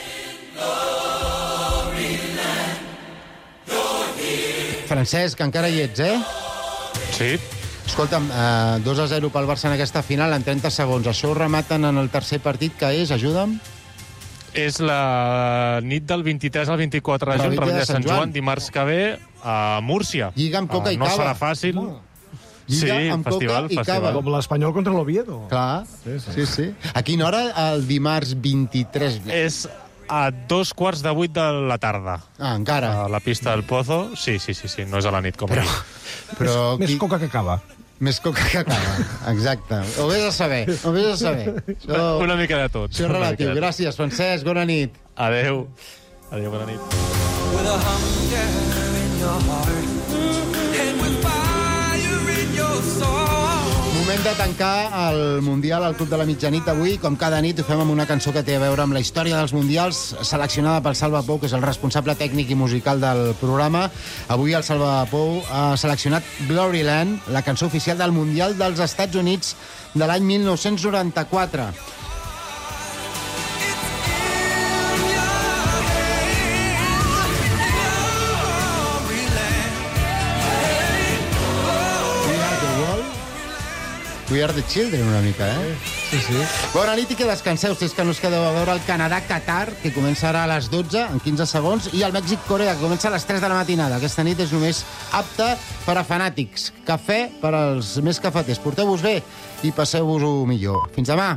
Francesc, encara hi ets, eh? Sí. Escolta'm, eh, dos a zero pel Barça en aquesta final en trenta segons. Això ho rematen en el tercer partit, que és, ajuda'm? És la nit del vint-i-tres al vint-i-quatre de juny, Revetlla de Sant Joan, dimarts que ve a Múrcia. Lliga amb coca uh, i no cava. No serà fàcil. No. Lliga sí, amb festival, coca i festival. cava. Com l'Espanyol contra l'Oviedo. Clar, sí, sí. sí, sí. A quina hora? El dimarts vint-i-tres. És a dos quarts de vuit de la tarda. Ah, encara. A la pista del Pozo. Sí, sí, sí, sí, no és a la nit com però, però Més qui... coca que cava. Més coca que cava, exacte. Ho vés a saber, ho vés a saber. Això... Una mica de tot. Això és relatiu. Gràcies, Francesc, bona nit. Adéu. Adéu, bona nit. With a hunger in your heart and with fire in your soul. Moment de tancar el Mundial al Club de la Mitjanit avui. Com cada nit ho fem amb una cançó que té a veure amb la història dels Mundials, seleccionada pel Salva Pou, que és el responsable tècnic i musical del programa. Avui el Salva Pou ha seleccionat Gloryland, la cançó oficial del Mundial dels Estats Units de l'any mil nou-cents noranta-quatre. We are the children, una mica, eh? Sí, sí. Bona nit i que descanseu, si és que no us quedeu a veure el Canadà-Qatar, que comença ara a les dotze, en quinze segons, i el Mèxic-Corea, que comença a les tres de la matinada. Aquesta nit és només apta per a fanàtics. Cafè per als més cafeters. Porteu-vos bé i passeu-vos-ho millor. Fins demà.